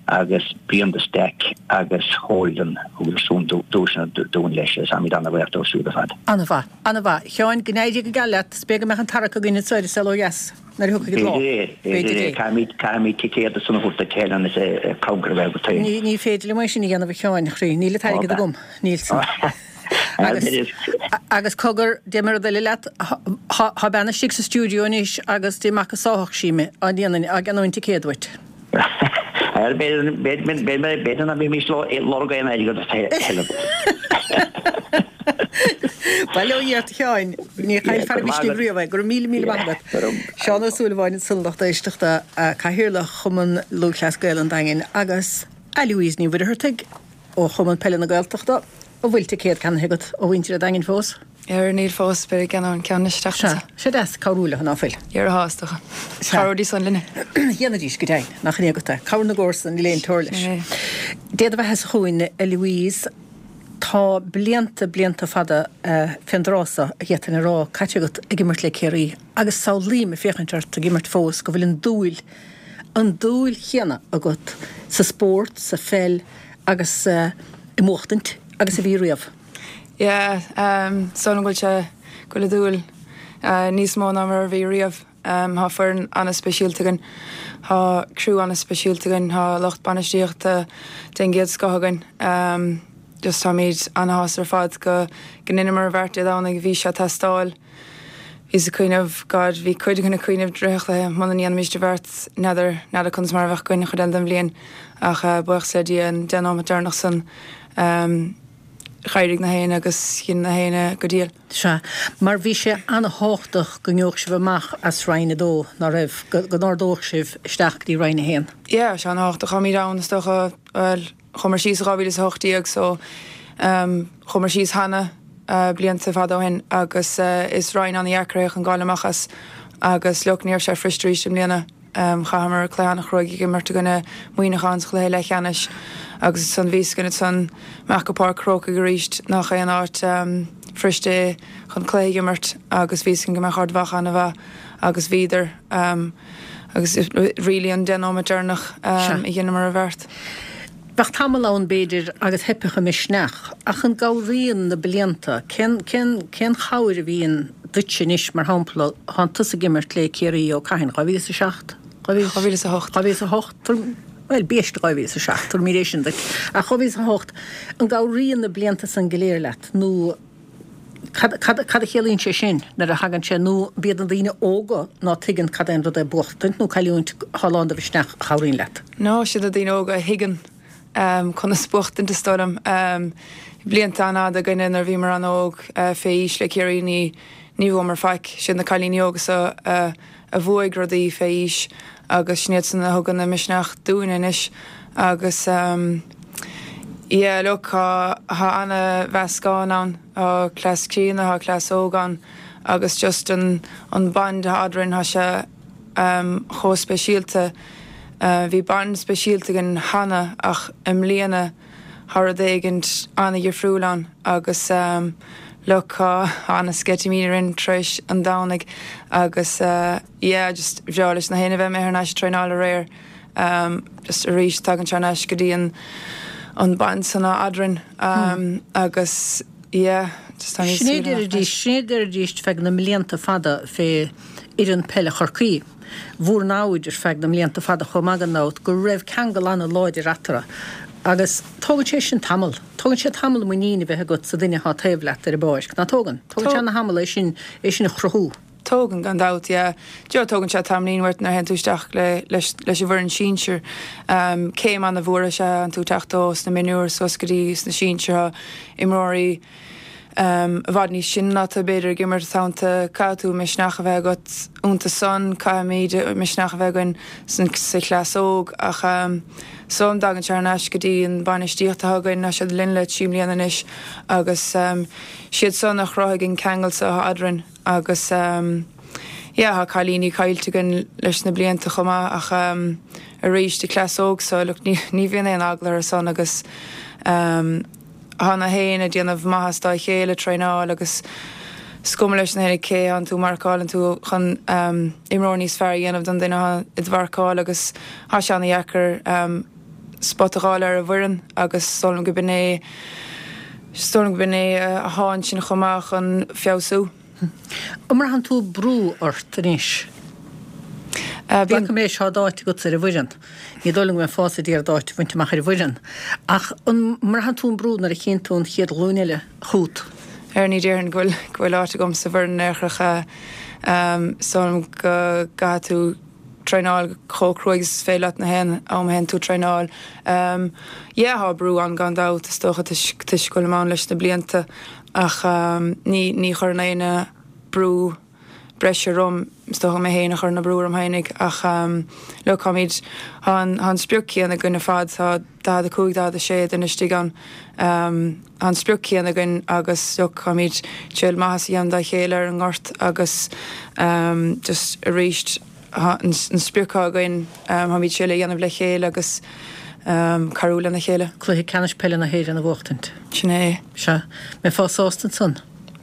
agus Beyond the Stack agus Holden, thugadar siúd duaiseanna dúinn leis agus táimid an-bhuíoch dóibh siúd ar fad. An-mhaith, an-mhaith. A Sheáin, go n-éirí go geal leat. Is b'fhéidir go mbeadh an tarrac againn anseo ar an Saol Ó Dheas nuair a thiocfaidh an lá. B'fhéidir é, b'fhéidir é. Caithfimid, caithfimid ticéad ansan a thabhairt duit Helen is cabhair a bheith agat féin. Ní féidir liom é sin a dhéanamh a Sheáin, a chroí. Níl an t-airgead agam. Níl san. Agus, agus cogar, déarfaidh mé rud eile leat, thá bean istigh sa stiúideo anois agus Dé mac a sáfadh sí mé á ndéanfainn, á gceannóinn ticéad uait. B'fhéidir ná beimis ag lorg aon airgead a thuilleadh. Bail ó Dhia ort a Sheáin, ní chaillfear an misneach riamh é. Go raibh míle míle maith agat. Seán Ó Súilleabháin ansan lucht éisteachta, Cathaoirleach Chumann Lúthchleas Gael an Daingin agus a Louise Ní Mhuircheartaigh, Ó Chumann Peile na Gaeltachta, an bhfuil ticéad ceannaithe agat ó mhuintir an Daingin fós? Ar, níl fós, beidh ag ceannach an ceann anois an tseachtain seo. Sea, sé deas cabhrú leo, ná fuil? Dhera thá, is dócha. Chabhróidís san linne. Dhéanfaidís, go deimhin, nach in é agat é. Cabhair na gcomharsan, níl aon teora leis. Sin é. Dé do bheatha-sa chugainn, a Louise, tá blianta, blianta fada fén dtráth so, a d'fhéadfainn a rá, caite agat ag imirt le Ciarraí agus samhlaím ag féachaint ort ag imirt fós go bhfuil an dúil, an dúil chéanna agat sa spórt, sa pheil agus i mbuachtaint agus a bhí riamh. Yeah, is dóigh liom go bhfuil sé, go bhfuil an dúil níos mó ná mar a bhí riamh. Tá foireann an-speisialta againn, tá criú an-speisialta againn, tá lucht bainistíochta den gcéad scoth againn. Just táimid an-shásta ar fad go go ndeineamar an bheart Dé Domhnaigh, bhí sé ag teastáil. Bhíos ag cuimhneamh, God, bhí cuid againn ag cuimhneamh i rith an chluiche, muna ndéanfaimis an bheart, n'fheadar, n'fheadar conas mar a bheadh againn an chuid eile den bhliain, ach buíochas le Dia, an 10 nóiméad deireanach san, d'éirigh na héinne agus dhein na héinne go diail. Sea, mar bhí sé an-thábhachtach go ngeobhadh sibh amach as Roinn 2, ná raibh, go n-ardódh sibh isteach go dtí Roinn 1. Yeah, sé an-thábhachtach, táimid ann, is dócha, bhuel, Chuamar síos i 2018 so chuamar síos cheana blianta fada ó shin agus is roinn an-dheacair é chun gabháil amach as agus look ní raibh sé fuirist arís i mbliana. Chaitheamar cluiche an-chruaidh ag imirt i gcoinne Muineachán sa chluiche leathcheannais agus ansan bhí a fhios againn ansan amach go Páirc Chrócaigh arís nach aon áit fuirist é chun cluiche a imirt agus bhí a fhios againn go mbeadh Ard Mhacha an-mhaith agus bhíodar agus really an 10 nóiméad deireanach a dheineamar an bheart. Bheadh tamall ann, b'fhéidir, agus theipfeadh an misneach, ach an gcabhraíonn na blianta? Cén, cén, cén chabhair a bhíonn duitse anois, mar shampla, thánn tusa ag imirt le Ciarraí ó cathain? 2007? 2008. 2008? Bhuel, b'éist 2007, tabharfaimid é sin duit. Ach 2008, an gcabhraíonn na blianta san go léir leat, nó Cad, cad, cad a chiallaíonn sé sin nuair a thagann sé, nó b'iad na daoine óga ná tuigeann cad é an rud é buachtaint nó cailliúint thá lán de mhisneach a chabhraíonn leat? No, siad na daoine óga a thuigeann conas buachtaint is dóigh liom. Blianta an-fhada againne nuair a bhíomar an-óg, fé aois le Ciarraí ní, ní bhuamar faic. Siad na cailíní óga so a, a bhuaigh rudaí fé aois agus sin iad san a thugann an misneach dúinne anois agus yeah look tá tá ana-mheascán ann, tá cleas críonna, tá cleas óg ann agus just an an bond atá eadrainn tá sé chomh speisialta. Bhí bond speisialta againn cheana ach i mbliana Tá rud éigint an-dhifriúil ann agus look tá an-sceitimíní orainn tar éis an Domhnaigh agus yeah just bhreá leis na héinne bheith thar n-ais ag traenáil aréir just arís tagann sé thar n-ais go dtí an an bond san eadrainn agus yeah just tá níos Sin é deiridís, sin é deiridís feadh na mblianta fada fé fhoireann peile Chorcaí. Bhur namhaid ar feadh na mblianta fada chomh maith gan dabht, go raibh ceangal an-láidir eatarthu. Agus tógann sé sin tamall. Tógann sé tamall muinín a bheith agat sa duine atá taobh leat ar an bpáirc, ná tógann? Tógann sé ana-thamall é sin, é sin a chruthú. Tógann, gan dabht, yeah. Do tógann sé tamaillín uait nuair a théann tú isteach le, leis, leis an bhfoireann sinsir. Céim an-mhór is ea théann tú teacht ó sna mionúir suas go dtí sna sinsir. Tá imreoirí. i bhfad níos sine ná tú b'fhéidir ag imirt iontu, caithfidh tú misneach a bheith agat iontu san, caithfimid misneach a bheith againn sa chleas óg ach is dóigh liom tagann sé thar n-ais go dtí an bainistíocht atá againn, tá siad linn le 3 mbliana anois agus siad san a chruthaigh an ceangal so atá eadrainn agus yeah tá cailíní caillte againn leis na blianta chomh maith ach arís an cleas óg so look ní ní bhíonn aon eagla orthu san agus Tá na héinne ag déanamh maitheas dá chéile, traenáil agus is cuma leis na héinne cé thánn tú marcálann tú chun imreoir níos fearr a dhéanamh don duine atá id mharcáil agus tá sé ana-dheacair spot a dh'fháil ar an bhfoireann agus is dóigh liom go b'in é is dóigh liom go b'in é athá ansin chomh maith chun feabhsú. An mbraitheann tú brú ort anois? Glacaim leis tá d'áit agat ar an bhfoireann. Ní dóigh liom go mbeifeása ag iarraidh d'áit a bhaint amach ar an bhfoireann. Ach an mbraitheann tú an brú nuair a chíonn tú an chéad ghlúin eile chugat? Ar ní déarfainn go bhfuil go bhfuil áit agam sa bhfoireann in aon chor. Is dóigh liom go gcaithfidh tú traenáil chomh cruaidh is is féidir leat na haon am a théann tú traenáil. Yeah tá brú ann gan dabht is dócha toisc toisc go bhfuilim ann leis na blianta ach ní ní chuireann éinne brú breise orm, is dócha mé féin a chuireann an brú orm fhéinig ach look táimid tá an tá an sprioc céanna againn ar fad tá 45 46 duine istigh ann tá an sprioc céanna againn agus look táimid ag triail maitheas a dhéanamh dá chéile ar an ngort agus just arís an sprioc atá againn, táimid ag triail é a dhéanamh le chéile agus cabhrú lena chéile. Cluiche Ceannais Peile na hÉireann a bhuachtaint. Sin é. Sea. Mbeifeá sásta ansan?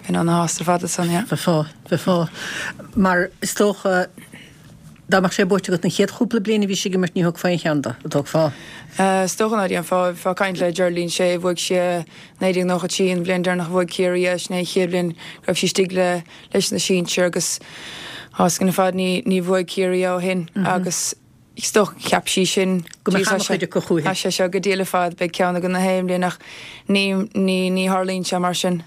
Bheinn ana-shásta ar fad ansan, yeah. Bheifeá, bheifeá. Mar is dócha, dá mbeadh sé buaite agat an chéad chúpla bliain a bhís ag imirt ní thógfá aon cheann de, an dtógfá? Is dócha ná déanfá. Bheifeá ag caint le Geraldine Shea, bhuaigh sí i 1993, an bhliain deireanach a bhuaigh Ciarraí é, sin é an chéad bhliain go raibh sí istigh le leis na sinsir agus tá a fhios againn ar fad ní ní bhuaigh Ciarraí é ó shin agus is dócha cheap sí sin Go mbeadh an-chuid acu chúithi. Tá sé seo go diail ar fad, beidh ceann againn na haon bhliain ach ní ní ní tharlaíonn sé mar sin.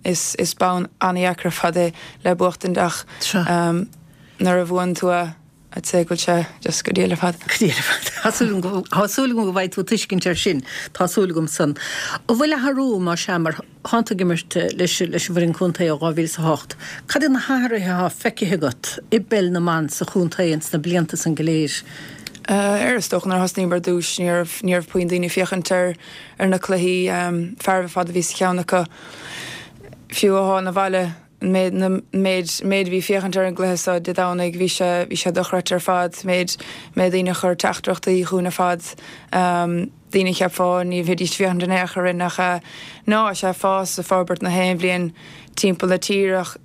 Is is bonn an-dheacair ar fad é le buachtaint ach nuair a bhuann tú é I'd say go bhfuil sé just go diail ar fad. Go diail ar fad. Tá súil agam go, tá súil agam go bhfaighidh tú tuiscint air sin. Tá súil agam san. An bhfuil athrú, más ea, mar thánn tú ag imirt leis, leis an bhfoireann contae ó 2008, cad iad na hathruithe atá feicthe agat i bpeil na mban sa chontae ins na blianta san go léir? Ar, is dócha nuair a thosnaíomar ar dtús ní raibh, ní raibh puinn daoine ag féachaint ar, ar na cluichí, fearaibh ar fad a bhí sa cheann acu, fiú athá 'na bhaile. An méid, na, méid, méid a bhí féachaint ar an gcluiche seo Dé Domhnaigh, bhí sé, bhí sé dochreidte ar fad, méid, méid daoine a chuir teachtaireachtaí chugainn ar fad, daoine a cheapfá ní bheidís féachaint in aon chor orainn ach ná, tá sé ag fás, ag forbairt na haon bhliain timpeall na tíre ach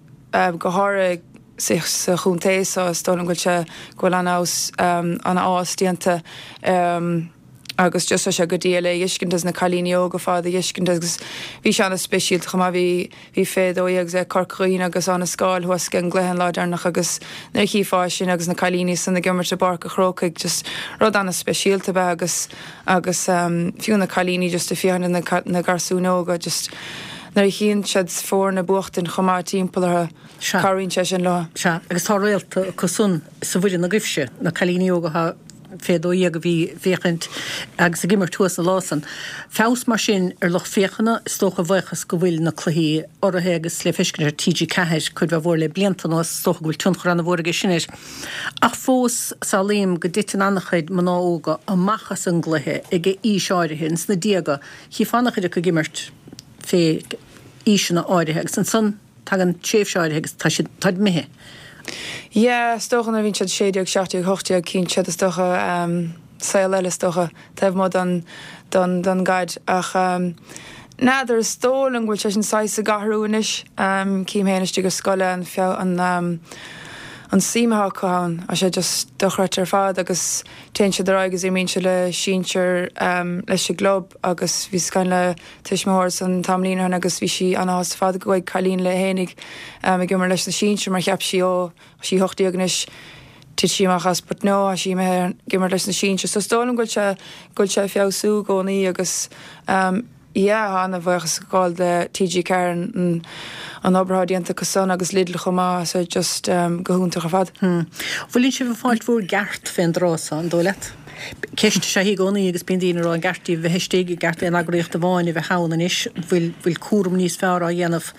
go háirithe sa, sa chontae seo, is dóigh liom go bhfuil sé, go bhfuil an-fheabhas, an-fhás déanta. agus just tá sé go diail é a fheiscint agus na cailíní óga ar fad a fheiscint agus bhí sé ana-speisialta chomh maith bhí bhí fé 12 agus ag Corca Dhuibhne agus Áth na Scáil thuas ag an gcluiche an lá deireanach agus nuair a chífeá sin agus na cailíní san ag imirt i bPáirc a' Chrócaigh just rud ana-speisialta ab ea agus agus fiú na cailíní just ag féachaint ar na na garsúin óga just nuair a chíonn siad foirne ag buachtaint chomh maith timpeall orthu cabhraíonn sé sin leo. Sea, agus tá réalta acu san sa bhfoireann agaibhse, na cailíní óga atá fé 12 a bhí ag féachaint agus ag imirt thuas an lá san. Feabhas mar sin ar lucht féachana, is dócha, a bhuíochas go bhfuil na cluichí urraithe agus le feiscint ar TG4 cuid mhaith mhór le blianta anuas, is dócha go bhfuil tionchar ana-mhór aige sin air. Ach fós, samhlaím go dtiteann ana-chuid mná óga amach as an gcluiche ag aois áirithe, ins na déaga, chífeá ana-chuid acu ag imirt fé aoiseanna áirithe agus ansan, Tagann tréimhse áirithe agus tá siad, táid imithe. Yeah, is dócha nuair a bhíonn siad 16, 17, 18, cíonn siad is dócha saol eile is dócha taobh amuigh don, don, don gcaid ach n'fheadar, is dóigh liom go bhfuil sé sin saghas ag athrú anois. Cím féin istigh ar scoil an feabh, an, an suim atá acu ann, tá sé just dochreidte ar fad agus téann siad ar aghaidh agus imríonn siad le sinsir leis an gclub agus bhíos ag caint le tuismitheoir ansan tamaillín ó shin agus bhí sí ana-shásta ar fad go bhfuil cailín léi fhéinig ag imirt leis na sinsir mar cheap sí ó tá sí 18 anois titfidh sí amach as but no tá sí imithe ag imirt leis na sinsir so is dóigh liom go bhfuil sé go bhfuil sé ag feabhsú i gcónaí agus yeah tá ana-bhuíochas ag gabháil do TG4 an an obair atá déanta acu san agus Lidl chomh maith so just go hiontach ar fad. Bhfuileann sibh ag fáilt bhur gceart fén dtráth so, an dóigh leat? Ceist is ea í i gcónaí agus bíonn daoine ag rá an gceart díbh bheith istigh, an gceart aon eagraíocht amháin a bheith ann anois, an bhfuil, bhfuil cúram níos fearr á dhéanamh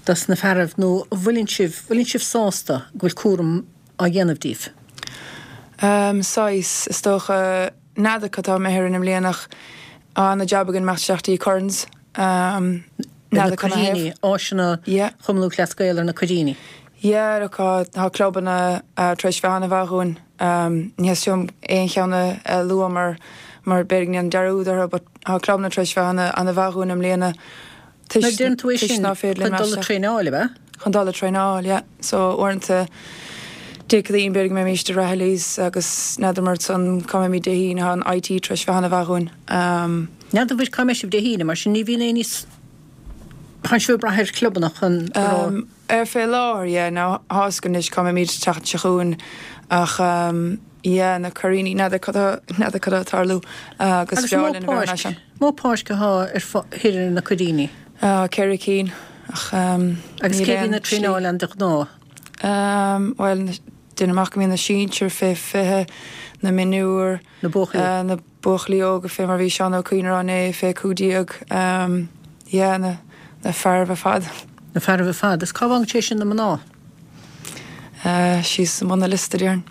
dos na fearaibh nó an bhfuileann sibh, bhfuileann sibh sásta go bhfuil cúram á dhéanamh díbh? Saghas, is dócha. N'fheadar cad tá imithe orainn i mbliana ach tá ana-jab againn imeacht isteach dtí Currans. Ar na Cuiríní, áiseanna Chumann Lúthchleas Gael ar na Cuiríní. Yeah, look, tá clubanna tar éis bheith an-mhaith dhúinn. Ní theastaíonn uaim aon cheann a lua mar mar b'fhéidir go ndéanfainn dearúd orthu but tá clubanna tar éis bheith an-mhaith dhúinn i mbliana. Nuair a deireann tú é sin, chun dul ag traenáil, ab ea? Chun dul ag traenáil, yeah. So, uaireanta, Dé Céadaoin, b'fhéidir go mbeimíst i Rahilly's agus n'fheadar mar san cá mbeimid Dé hAoine, tá an IT tar éis bheith an-mhaith dhúinn. N'fheadar bhfuil cá mbeidh sibh Dé hAoine, mar sin ní bhíonn aon níos, tánn sibh ag brath ar chlubanna chun go raibh. Ar fé láthair, yeah. Now, tá 'fhios againn anois cá mbeimid an tseachtain seo chugainn ach yeah, na Cuiríní, n'fheadar cad tá, n'fheadar cad tá ag tarlú agus Agus b'fhearr linn a bheith ar ais ann. Mó páirc athá ar thoir ar na Cuiríní? 4 cinn ach Agus níl cé bhíonn aon ag traenáil ann de ghnáth? Bhuel, déanaim amach go mbíonn na sinsir fé 20, na mionúir, Na buachaillí. na buachaillí óga fé mar bhí Seán Ó Cuinn a rá inné, fé 15, yeah, na na fearaibh ar fad. Na fearaibh ar fad. Is cá bhfágann sé sin na mná? Síos i mbun an liosta, déarfainn.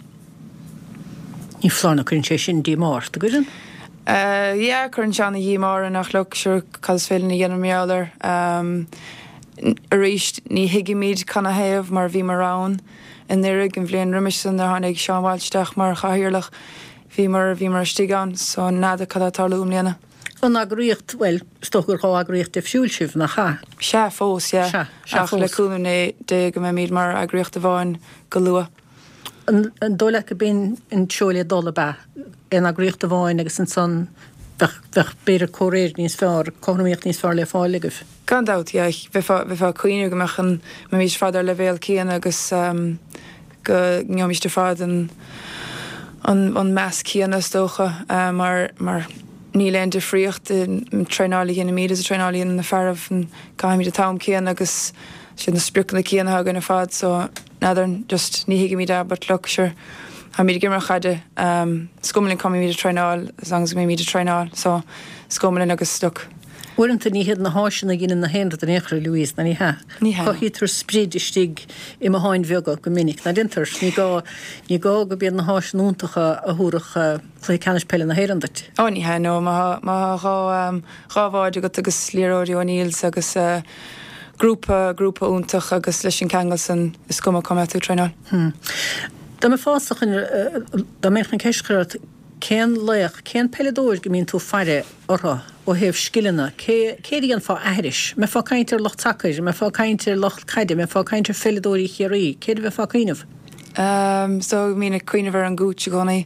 Ní foláir nó cuireann sé sin díomá ort, an gcuireann? Yeah, cuireann sé ana-dhíomá orainn ach look, sure, cad is féidir linn a dhéanamh mar gheall air? Arís, ní thuigimid canathaobh mar bhíomar ann anuraidh, an bhliain roimis san nuair a tháinig Seán Walsh isteach mar chathaoirleach, bhíomar, bhíomar istigh ann, so n'fheadar cad tá ag tarlú i mbliana. An eagraíocht, bhuel, is dócha gur 2 eagraíocht difriúil sibh, nach ea? Sea, fós, yeah. Sea, sea, Ach le fós. cúnamh Dé go mbeimid mar eagraíocht amháin go luath. An dóigh leat go b'in an treo le dul, ab ea? Aon eagraíocht amháin agus ansan bheadh, bheadh b'fhéidir comhréir níos fearr, cothromaíocht níos fearr le fáil agaibh? Gan dabht, yeah. Bheifeá, bheifeá ag cuimhneamh go mbeadh an, mbeimís ar fad ar leibhéal céanna agus go ngeobhaimís ar fad an, an, an meas céanna is dócha mar, mar níl aon difríocht i traenáil a dhéanaimid is an traenáil a dhéanann na fearaibh, caithimid an t-am céanna agus siad na spriocanna céanna atá againn ar fad so n'fheadar, just ní thuigimid é but look, sure, táimid ag imirt caide, is cuma linn cá mbeimid ag traenáil as long as go mbeimid ag traenáil so is cuma linn agus look. Uaireanta ní hiad na háiseanna a dheineann na haon rud in aon chor, a Louise, ná ní hea? Ní hea. Cothaítear sprid istigh i mbotháin bheaga go minic, ná déantar? Ní gá, ní gá go b'iad na háiseanna iontacha a thabharfadh cluiche ceannais peile na hÉireann duit. Ó ní hea, no, má má tá 2 bhád agat agus liathróidí O'Neills agus grúpa, grúpa iontach agus leis an ceangal san is cuma cá mbeidh tú ag traenáil. Hm. Dá mbeifeása chun, dá mbeinn chun ceist a chur ort, cén laoch, cén peileadóir go mbíonn tú ag faire orthu ó thaobh scileanna, cé, cé air a dhéanfá aithris? An mbeifeá ag caint ar lucht sacair, an mbeifeá ag caint ar lucht caide, an mbeifeá ag caint ar pheileadóirí Chiarraí, cé air a bheifeá ag cuimhneamh? So bhínn ag cuimhneamh ar an gCooch i gcónaí.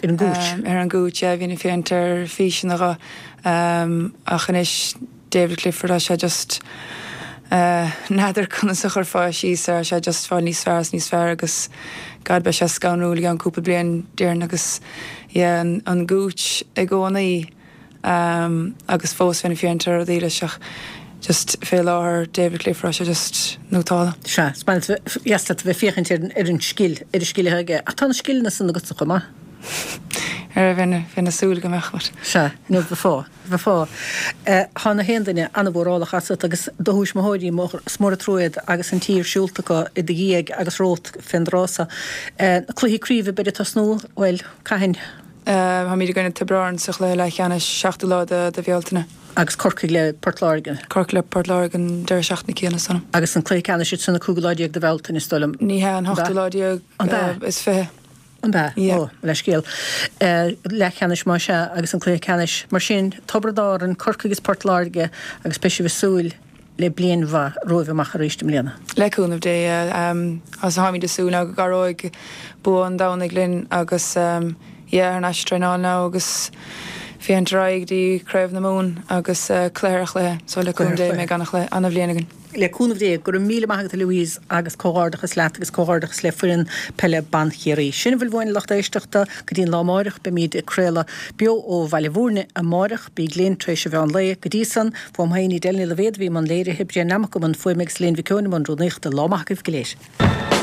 Ar an gCooch? Ar an gCooch, yeah, bhínn ag féachaint ar físeanna dho. Ach anois David Clifford, tá sé just, n'fheadar conas a chuirfeá síos air, tá sé just fáil níos fearr is níos fearr agus God beidh sé scanrúil i gceann cúpla bliain déarfainn agus yeah an, an Gooch i gcónaí agus fós bheinn ag féachaint ar rudaí leis ach just fé láthair David Clifford tá sé just nótálta. Sea, is maith leat a bheith ag féachaint ar, ar an scil, ar an scil atá aige ach tá na scileanna san agatsa chomh maith. Ar bheinn, bheinn ag súil go mbeadh but. Sea, nó bheifeá. Bheifeá. Tá na haon duine an-mhórálach asat agus do thuismitheoirí, is mór an trua iad agus an tír siúlta acu i do dhiaidh agus romhat fén dtráth so. Na cluichí craoibhe beid ag tosnú, bhuel, cathain? Táimid i gcoinne Tiobraid Árann sa chluiche leathcheannais, 7ú lá de Bhealtaine. Agus Corcaigh le Port Láirge. Corcaigh le Port Láirge an deireadh seachtaine céanna san. Agus an cluiche ceannais ansan an cúigiú lá déag de Bhealtaine, is dóigh liom. Ní hea, an hochtú lá déag is 20. An b'ea? Yeah. Ó, leithscéal. Leathcheannais más ea agus an cluiche ceannais. Mar sin, Tiobraid Árann, Corcaigh is Port Láirge agus beidh sibh ag súil le bliain mhaith romhaibh amach arís i mbliana. Le cúnamh Dé, yeah. Agus táimid ag súil now go gcabhróidh bua an Domhnaigh linn agus yeah, thar n-ais ag traenáil now agus féachaint ar aghaidh go dtí Craobh na Mumhan agus cluiche ar chluiche. So le cúnamh Dé beidh an-chluiche, an-bhliain againn. Le cúnamh Dé, go raibh míle maith agat a Louise agus comhghairdeachas leat agus comhghairdeachas le foireann peile ban Chiarraí. Sin a bhfuil uainn a lucht éisteachta go dtí an lá amáireach. Beimid ag craoladh beo ó Bhaile Bhúirne amáireach. Bíg linn tar éis an mheán lae. Go dtí san, uaim féin Edel Ní Loibhéad a bhí i mbun léirithe, Brian Nammock i mbun fuaime agus Elaine Mhic Eoin i mbun rúnaíochta. Lá maith agaibh go léir.